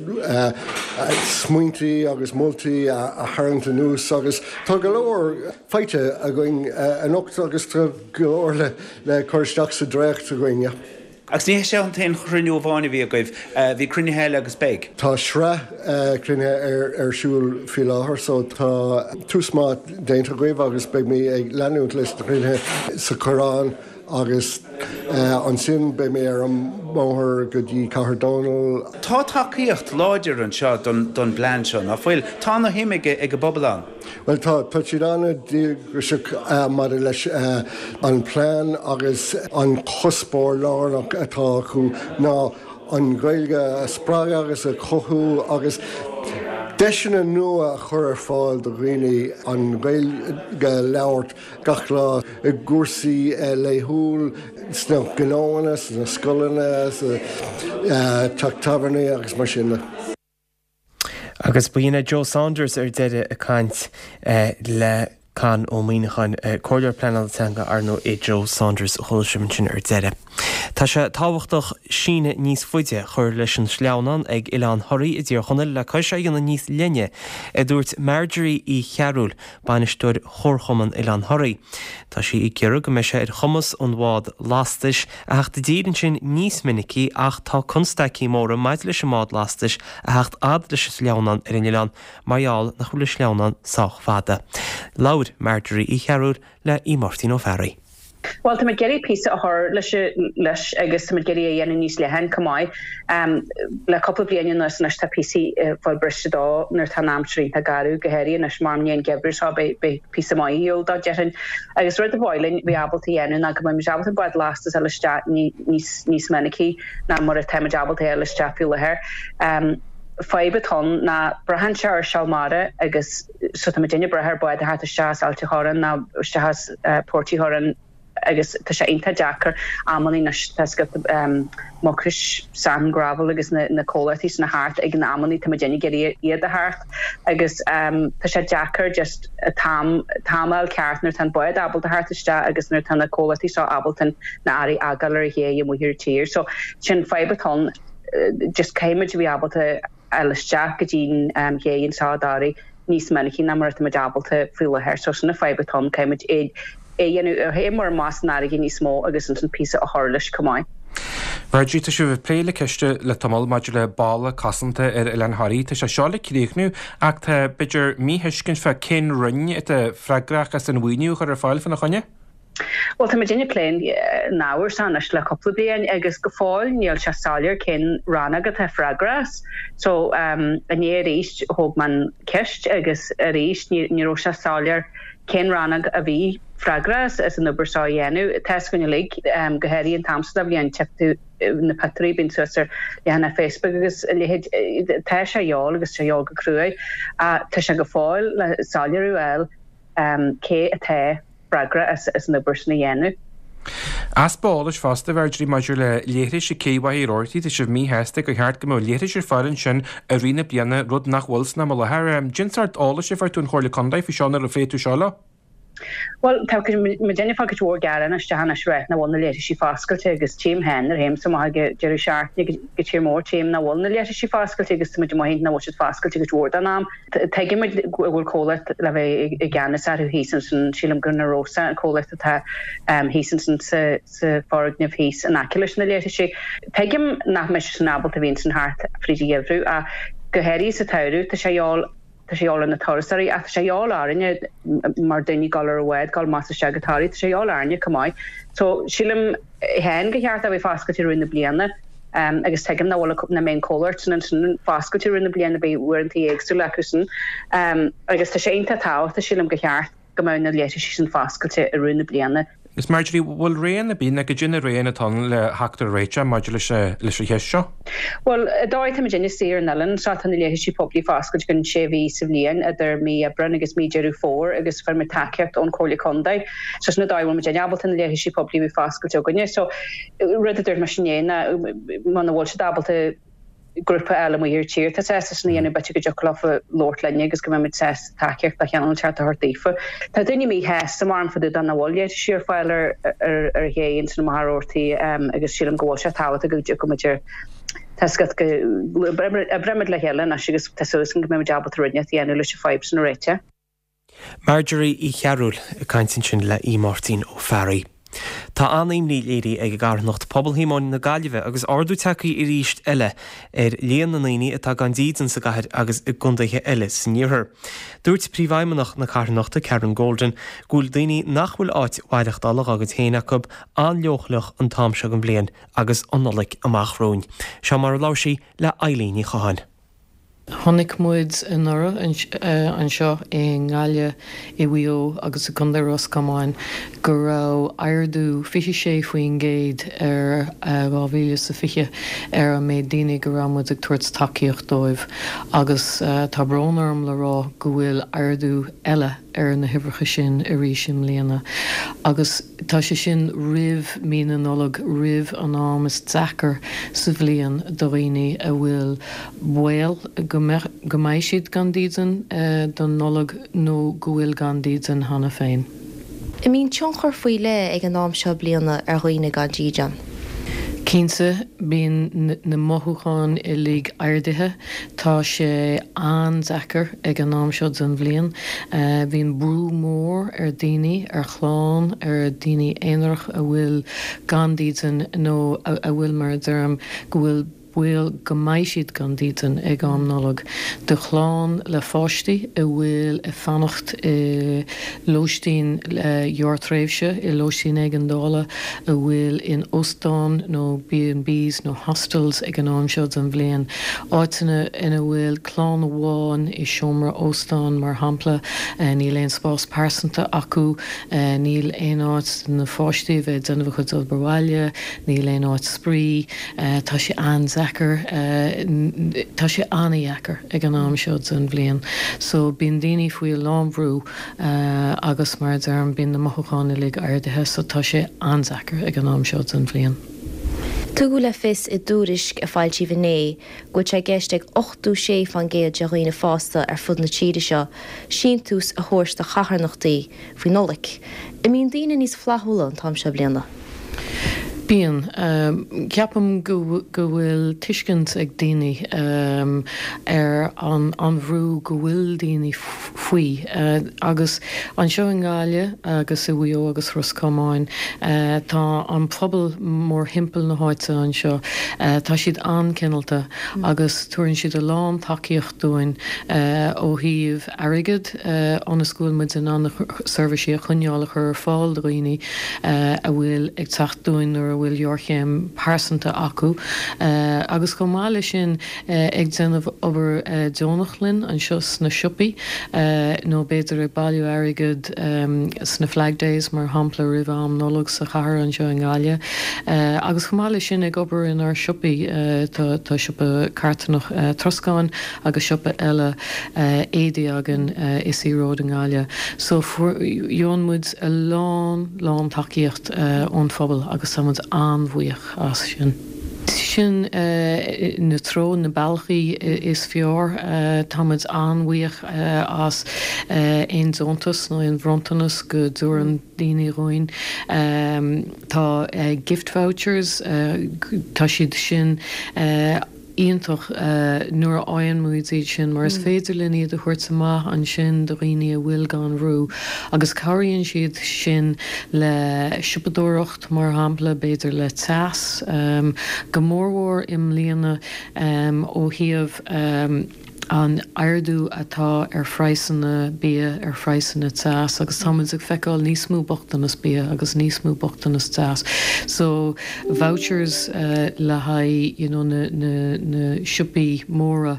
smaointí agus moltaí a tharraingt anuas agus tá go leor faighte againn anocht agus tá go leor le cur isteach sa dréacht againn. Agus ní hé seo an t-aon chruinniú amháin a bhí agaibh, bhí cruinnithe eile agus beidh. Tá sraith cruinnithe ar siúl faoi láthair so tá tús maith déanta agaibh agus beidh mé ag leanúint leis na cruinnithe sa Choireán Agus ansin beidh mé ar an mbóthar go dtí Cathair Dónall. Tá tacaíocht láidir anseo don bplean seo, ná fuil? Tá ana shuim ag an bpobal ann. Bhuel tá, tá siad an-díograiseach maidir leis an bplean agus an cuspóir lárnach atá acu ná an Ghaeilge a spreagadh agus a chothú agus deiseanna nua a chur ar fáil do dhaoine an Ghaeilge a labhairt gach lá i gcúrsaí laethúil sna gnóanna, sna scoileanna, sa teach tábhairne agus mar sin de. Agus ba shin é Joe Saunders ar deireadh ag caint le Con Ó Muíneacháin, Comhairleoir Pleanála Teanga, ar ndóigh, é Joe Saunders a chuala sibh ansin ar deireadh. Tá sé tábhachtach síneadh níos faide a chur leis an sleamhnán ag Oileán Thoraí i dTír Chonaill le cois é a dhéanamh níos leithne, a dúirt Marjorie Uí Chearúil, bainisteoir Chomharchumann Oileán Thoraí. Tá sí ag iarraidh go mbeidh sé ar chumas an bhád lastais a theacht i dtír ansin níos minicí ach tá constaicí móra maidir leis an mbád lastais a theacht fhad leis an sleamhnán ar an oileán mar gheall nach bhfuil an sleamhnán sách fada. Labhair Marjorie Uí Chearúil le Aodh Máirtín Ó Fearraigh. Bhuel, táimid ag iarraidh píosa a chur leis leis agus táimid ag iarraidh é a dhéanamh níos leithne chomh maith. Le cúpla bliain anuas anois tá píosaí ag fáil briste dó nuair atá an aimsir iontach garbh, go háirithe anois mar i ndiaidh an gheimhridh seo beidh beidh píosa maith ar shiúl dó déarfainn. Agus rud ba mhaith linn bheith ábalta a dhéanamh ná go mbeimid ábalta bád lastais a fháil isteach níos níos minicí ná mar atáimid ábalta a fháil isteach faoi láthair. Fadhb atá ann ná braitheann sé ar seal mara agus so tá muidinne ag brath ar bád a theacht isteach as Ailt a' Chorráin nó isteach as Port Uí Churráin agus tá sé iontach deacair amannaí anois tá scata Mucrois, Sand and Gravel agus na na comhlachtaí sin a theacht ag na amannaí tá muidinne ag iarraidh iad a theacht agus tá sé deacair just an t-am t-am a fháil ceart nuair atá an bád ábalta theacht isteach agus nuair atá na comhlachtaí seo ábalta na earraí a fhágáil ar an ché amuigh ar tír so sin fadhb atá ann just caithfidh muid a bheith ábalta fháil isteach go dtí an ché anseo i dToraigh níos minicí ná mar atá muid ábalta faoi láthair. So sin an fadhb atá ann, caithfidh muid é a dhéanamh, a théamh amach san fharraige níos mó agus ansin píosa a chur leis chomh maith. Marjorie, tá sibh ag plé le ceist le tamall maidir le balla cosanta ar Oileán Thoraí. Tá sé seo le críochnú ach tá, b'fhéidir, míthuiscint fá cén roinn atá freagrach as an mhaoiniú a chur ar fáil fána choinne? Bhuel, tá muidinne ag plé an ábhair seo anois le cúpla bliain agus go fóill níl sé soiléir cén rannóg atá freagrach as. So, inné arís thóg mé an ceist agus arís ní raibh sé soiléir cén rannóg a bhí freagrach as an obair seo a dhéanamh. Tá fhios againn uilig, go háirithe an t-am seo de bhliain, tchífidh tú na pictiúirí a bíonn suas ar leathanach Facebook agus a leithéid, tá sé a dhíobháil agus tá sé a dhíobháil go cruaidh. Ach tá sé go fóill le soiléiriú a fháil cé atá freagrach as an obair sin a dhéanamh. Easpa eolais fosta, a Mharjorie, maidir le leithris ag Cé Mhachaire Rabhartaigh, tá sibh míshásta gur cheart go mbeadh leithris ar fáil ansin i rith na bliana, rud nach bhfuil san am i láthair. Cén sórt eolais a fuair tú ón Chomhairle Contae faoi seo nuair a phléigh tú seo leo? Bhuel, tá muidinne ag fáil cuid mhór gearán isteach anois ag ráit nach bhfuil na leithrisí foscailte agus tchím féin nuair a théimse amach ag an deireadh seachtaine go tír mór, tchím nach bhfuil na leithrisí foscailte agus tá muid amuigh nach bhfuil siad foscailte cuid mhór den am. Tuigimid go bhfuil comhlacht le bheith i gceannas orthu thíos ansin, sílim gur Na Rosa an comhlacht atá thíos ansin sa foirgneamh thíos in aice leis na leithrisí. Tuigim nach mbeidh siad sin ábalta a bheith ansin thart fríd an gheimhreadh ach go háirithe sa tsamhradh tá sé a dhíobháil, tá sé a dhíobháil ar na turasóirí ach tá sé a dhíobháil orainne mar daoine ag dul ar an bhád, dul amach is isteach go Toraigh, tá sé a dhíobháil orainne chomh maith. So sílim féin gur cheart é a bheith foscailte i rith na bliana agus tuigim nach bhfuil nach mbeidh an comhlacht sin ansin foscailte i rith na bliana, beidh uaireanta éagsúla acu sin agus tá sé iontach tábhachtach sílim gur cheart go mbeadh na leithrisí sin foscailte i rith na bliana. Is Marjorie, bhfuil raon ar bith nó goidé na roghanna atá ann le theacht ar réiteach maidir leis leis an cheist seo? Bhuel, an dóigh atá muidinne istigh ar an oileán seo tá na leithrisí poiblí foscailte don sé mhí sa bhliain idir mí Aibreáin agus mí Deireadh Fómhair agus fuair muid tacaíocht ón Chomhairle Contae. So sin an dóigh a bhfuil muidinne ábalta na leithrisí poiblí a bheith foscailte againne. So rud a dúirt mise inné ná muna bhfuil siad ábalta grúpa a fháil amuigh ar tír atá sásta sin a dhéanamh b'fhéidir go dtiocfadh leofa labhairt linne agus go mbeidh muid sásta tacaíocht de chineál inteacht a thabhairt daofa. Tá daoine míshásta mar fá dtaobh de nach bhfuil leithrisí ar fáil ar ar an ché ansin i Machaire Rabhartaigh agus sílim go bhfuil sé tábhachtach go dtiocfaidh muid ar tá a fhios agat go oibreoidh muid le chéile anois agus tá súil agam go mbeidh muid ábalta rud inteacht a dhéanamh leis an fadhb sin a réiteach. Marjorie Uí Chearúil ag caint ansin le Aodh Máirtín Ó Fearraigh. Tá an-imní léirithe ag an gcarthanacht Pobal Shíomóin na Gaillimhe agus ardú tagtha arís eile ar líon na ndaoine atá gan dídean sa gcathair agus i gcontaetha eile san iarthar. Dúirt Príomhfheidhmeannach na carthanachta, Karen Golden, go bhfuil daoine nach bhfuil áit mhaireachtála dá gcuid féin acu an-leochaileach an t-am seo den bhliain agus an Nollaig amach romhainn. Seo mar a labhair sí le Eilín Ní Chatháin. Chonaic muid anuraidh anseo i nGaillimh, i Mhaigh Eo agus i gContae Ros Comáin go raibh ardú 26% ar 2020 ar an méid daoine go raibh muid ag tabhairt tacaíocht dóibh agus tá brón orm le rá go bhfuil ardú eile ar na huimhreacha sin arís i mbliana agus tá sé sin roimh mí na Nollag, roimh an am is deacair sa bhliain do dhaoine a bhfuil baol go mbeidh, go mbeidh siad gan dídean don Nollaig nó go bhfuil gan dídean cheana féin. An mbíonn tionchar faoi leith ag an am seo bliana ar dhaoine gan dídean? Cinnte, bíonn na mothúcháin uilig ardaithe. Tá sé an-deacair ag an am seo den bhliain. Bíonn brú mór ar daoine, ar chlann, ar daoine aonarach a bhfuil gan dídean nó a bhfuil, mar a deirim, go bhfuil baol go mbeidh siad gan dídean ag am Nollag. Do chlann le pháistí a bhfuil ag fanacht i lóistín ghearrtréimhse, i lóistín éigeandála, a bhfuil in óstáin nó B and Bs nó hostels ag an am seo den bhliain, áiteanna ina bhfuil clann amháin i seomra óstáin mar shampla, níl aon spás pearsanta acu, níl aon áit do na pháistí a bheith ag déanamh a chuid obair bhaile, níl aon áit spraoi. Tá sé an-deacair, tá sé an-dheacair ag an am seo den bhliain. So bíonn daoine faoi a lán bhrú agus mar a deirim bíonn na mothúcháin uilig ardaithe so tá sé an-deacair ag an am seo den bhliain. Tugadh le fios i dtuairisc a foilsíodh inné go bhfuil sé i gceist ag 86% de dhaoine fásta ar fud na tíre seo síntiús a thabhairt do charthanachtaí faoi Nollaig. An mbíonn daoine níos flaithiúla an t-am seo bliana? Bíonn. Ceapaim go bhfuil tuiscint ag daoine ar an bhrú go bhfuil daoine faoi. Agus anseo i nGaillimh agus i Mhaigh Eo agus Ros Comáin, tá an pobal mórthimpeall na háite anseo, tá siad an-cineálta agus tabharann siad a lán tacaíocht dúinn ó thaobh airgead ionas go bhfuil muid in ann na seirbhísí a choinneáil a chur ar fáil do dhaoine a bhfuil ag teacht dúinn nuair a bhfuil géarchéim pearsanta acu agus chomh maith leis sin ag déanamh obair deonach linn anseo sna siopaí nó b'fhéidir ag bailiú airgead sna Flag Days mar shampla roimh am Nollag sa chathair anseo i nGaillimh agus chomh maith leis sin ag obair inár siopaí tá siopa carthanach troscáin agus siopa eile éadaí againn i Sea Road i nGaillimh. So faigheann muid a lán, lán tacaíocht ón phobal agus tá muid an-bhuíoch as sin. Sin na treo, na bealaí is fearr. Tá muid an-bhuíoch as aon deontas nó aon bhronntanas go dtabharann daoine dhúinn. Tá gift vouchers, tá siad sin iontach nuair a fhaigheann muid iad sin mar is féidir linn iad a thabhairt amach ansin do dhaoine a bhfuil gan bhrú agus cabhraíonn siad sin le siopadóireacht mar shampla, b'fhéidir le teas, go mórmhór i mbliana ó thaobh. an ardú atá ar phraghsanna bia, ar phraghsanna teas agus tá muid ag feiceáil níos mó bochtanas bia agus níos mó bochtanas teas. So vouchers le haghaidh you know na na na siopaí móra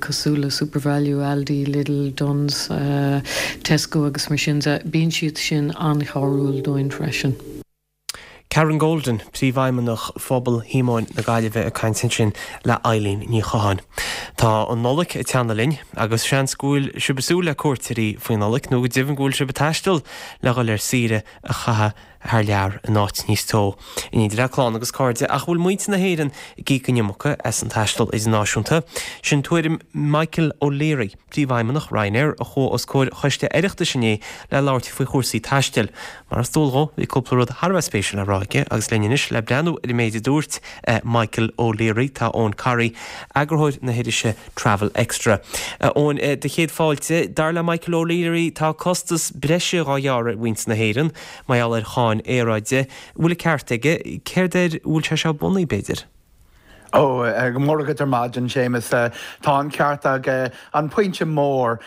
cosúil le Supervalu, Aldi, Lidl, Dunnes, Tesco agus mar sin de, bíonn siad sin an-chabhrúil dúinn freisin. Karen Golden, Príomhfheidhmeannach Phobal Shíomóin na Gaillimhe ag caint ansin le Eileen Ní Chatháin. Tá an Nollaig ag teannadh linn agus seans go bhfuil sibh ag súil le cuairteoirí faoin Nollaig nó go deimhin go bhfuil sibh ag taisteal le dhul ar saoire a chaitheamh thar lear in áit níos teo in éindí le clann agus cairde ach bhfuil muintir na hÉireann ag íoc an iomarca as an taisteal idirnáisiúnta? Sin tuairim Michael O'Leary. Príomhfheidhmeannach Ryanair, a chuaigh os comhair Choiste Oireachtais inné le labhairt faoi chúrsaí taistil. Mar is dual dhó, bhí cúpla rud thar a bheith spéisiúil le rá aige agus linn anois le breathnú ar an méid a dúirt Michael O'Leary, tá Eoin Corry, eagarthóir na hirise Travel Extra. A Eoin, do chéad fáilte. Dar le Michael O'Leary, tá costas breise dhá ghearradh ar mhuintir na hÉireann mar gheall ar cháin aeráide. An bhfuil an ceart aige? Céard air a bhfuil sé seo bunaithe, b'fhéidir? Ó, go mór agat ar maidin, Séamus. Tá an ceart aige. An pointe mór,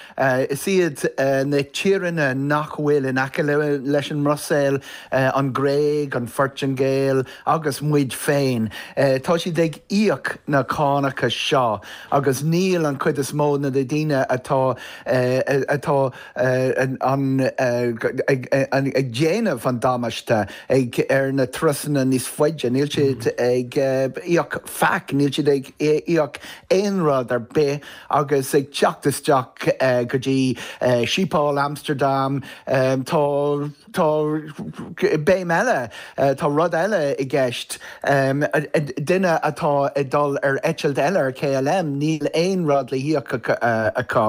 is iad na tíreanna nach bhfuil in aice leis an mBruiséil, an Ghréig, an Phortaingéil agus muid féin, tá siad ag íoc na cánacha seo agus níl an chuid is mó de na daoine atá atá an ag déanamh an damáiste ag ar na turasanna níos faide, níl siad ag íoc faic, níl siad ag íoc aon rud ar bith agus ag teacht isteach go dtí Schiphol, Amsterdam, tá tá béim eile, tá rud eile i gceist, duine atá ag dul ar eitilt eile ar KLM, níl aon rud le híoc acu.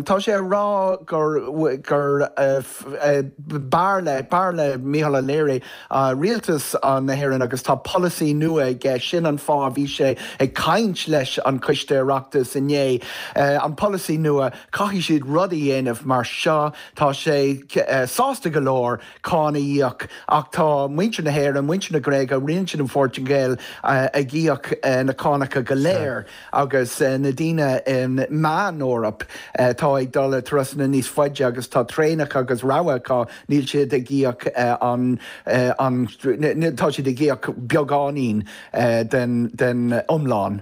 Tá sé a rá gur gur b'fhearr le b'fhearr le Micheál O'Leary rialtas na hÉireann agus tá polasaí nua aige, sin an fáth a bhí sé ag caint leis an Coiste Oireachtais inné. An polasaí nua, caithfidh siad rud a dhéanamh mar seo, tá sé sásta go leor cáin a íoc ach tá muintir na hÉireann, muintir na Gréige, muintir na Phortaingéil ag íoc na cánacha go léir. Agus na daoine i Meán-Eoraip atá ag dul ar turasanna níos faide agus tá traenacha agus rogha acu, níl siad ag íoc an, an, tá siad ag íoc beagáinín den, den iomlán.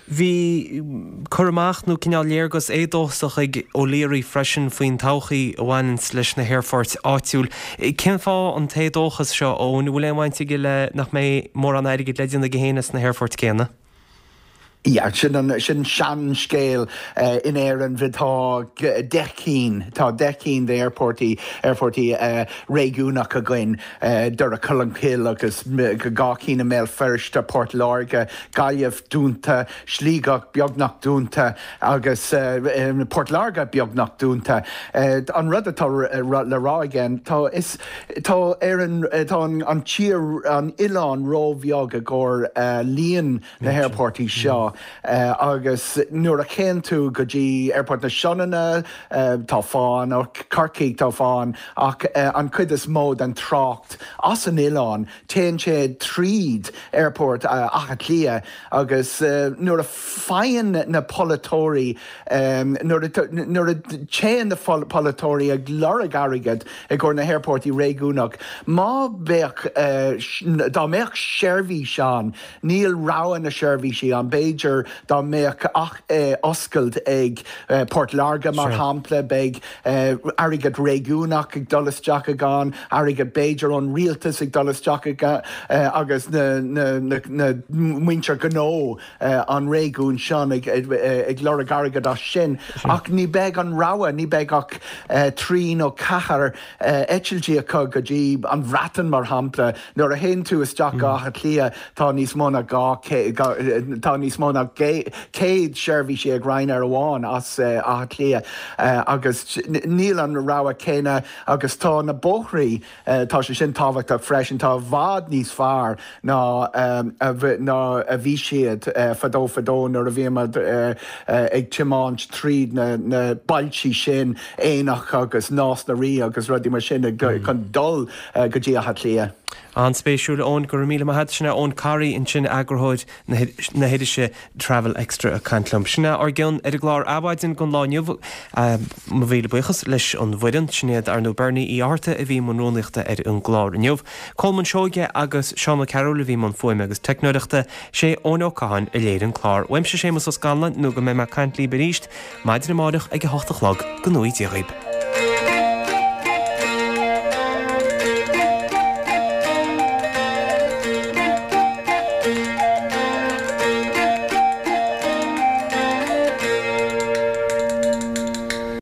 Bhí cur amach nó cineál léargas éadóchasach ag O'Leary freisin faoin todhchaí a bhaineanns leis na haerfoirt áitiúil. Cén fáth an t-éadóchas seo, Eoin? An bhfuil aon bhaint aige le nach mbeidh mórán airgid le déanamh aige féin as na haerfoirt céanna? Yeah, sin an, sin seanscéal in Éirinn. Tá 10 cinn, tá 10 cinn d'aerphortaí, aerphortaí réigiúnach againn, Doire Cholmcille agus 2 cinn i mBéal Feirste, Port Láirge, Gaillimh dúnta, Sligeach beagnach dúnta agus Port Láirge beagnach dúnta. An rud atá le rá aige, tá, is, tá Éirinn, tá an tír, an oileán róbheag i gcomhair líon na haerphortaí seo agus nuair a théann tú go dtí Aerport na Sionainne tá fáth ann, Corcaigh tá fáth ann ach an chuid is mó den trácht as an oileán téann sé tríd Aerport Átha Cliath agus nuair a faigheann na polaiteoirí nuair nuair a téann na polaiteoirí ag lorg airgead i gcomhair na haerphortaí réigiúnach má bheadh dá mbeadh seirbhís ann Níl rogha na seirbhísí ann. B'fhéidir dá mbeadh ach oscailt ag Port Láirge, mar shampla, beidh airgead réigiúnach ag dul isteach ag ann, airgead b'fhéidir ón rialtas ag dul isteach ag agus na muintir gnó an réigiúin sin ag lorg airgead as sin. Ach ní beidh an rogha, ní beidh ach 3 nó 4 eitiltí acu go dtí an Bhreatain, mar shampla. Nuair a théann tú isteach go Áth Cliath tá níos mó ná 200, tá níos mó ná 100 seirbhísí ag Ryanair amháin as Áth Cliath agus níl an rogha céanna agus tá na bóithrí, tá sé sin tábhachtach freisin, tá i bhfad níos fearr ná ná a bhí siad fadó fadó nuair a bhíomar ag tiomáint tríd na na bailtí sin, Aonach agus Nás na Rí agus rudaí mar sin chun dul go dtí Áth Cliath. An-spéisiúil, Eoin, go raibh míle maith agat. Sin é Eoin Corry ansin, eagarthóir na hirise Travel Extra ag caint liom. Sin é ár gcion ar an gclár Adhmhaidin don lá inniu. Mo mhíle buíochas leis an bhfoireann. Sin iad ar ndóigh Bernie Uí Fhátharta a bhí i mbun rúnaíochta ar an gclár inniu. Colmán Seoige agus Seán Ó Cearúil a bhí i mbun fuaime agus teicneoireachta. Sé Eoin Ó Catháin a léirigh an clár. Uaimse Séamus Ó Scanláin nó go mbeidh mé ag caint libh arís maidin amárach ag a hocht a chlog. Go ngnóthaí Dia dhaoib.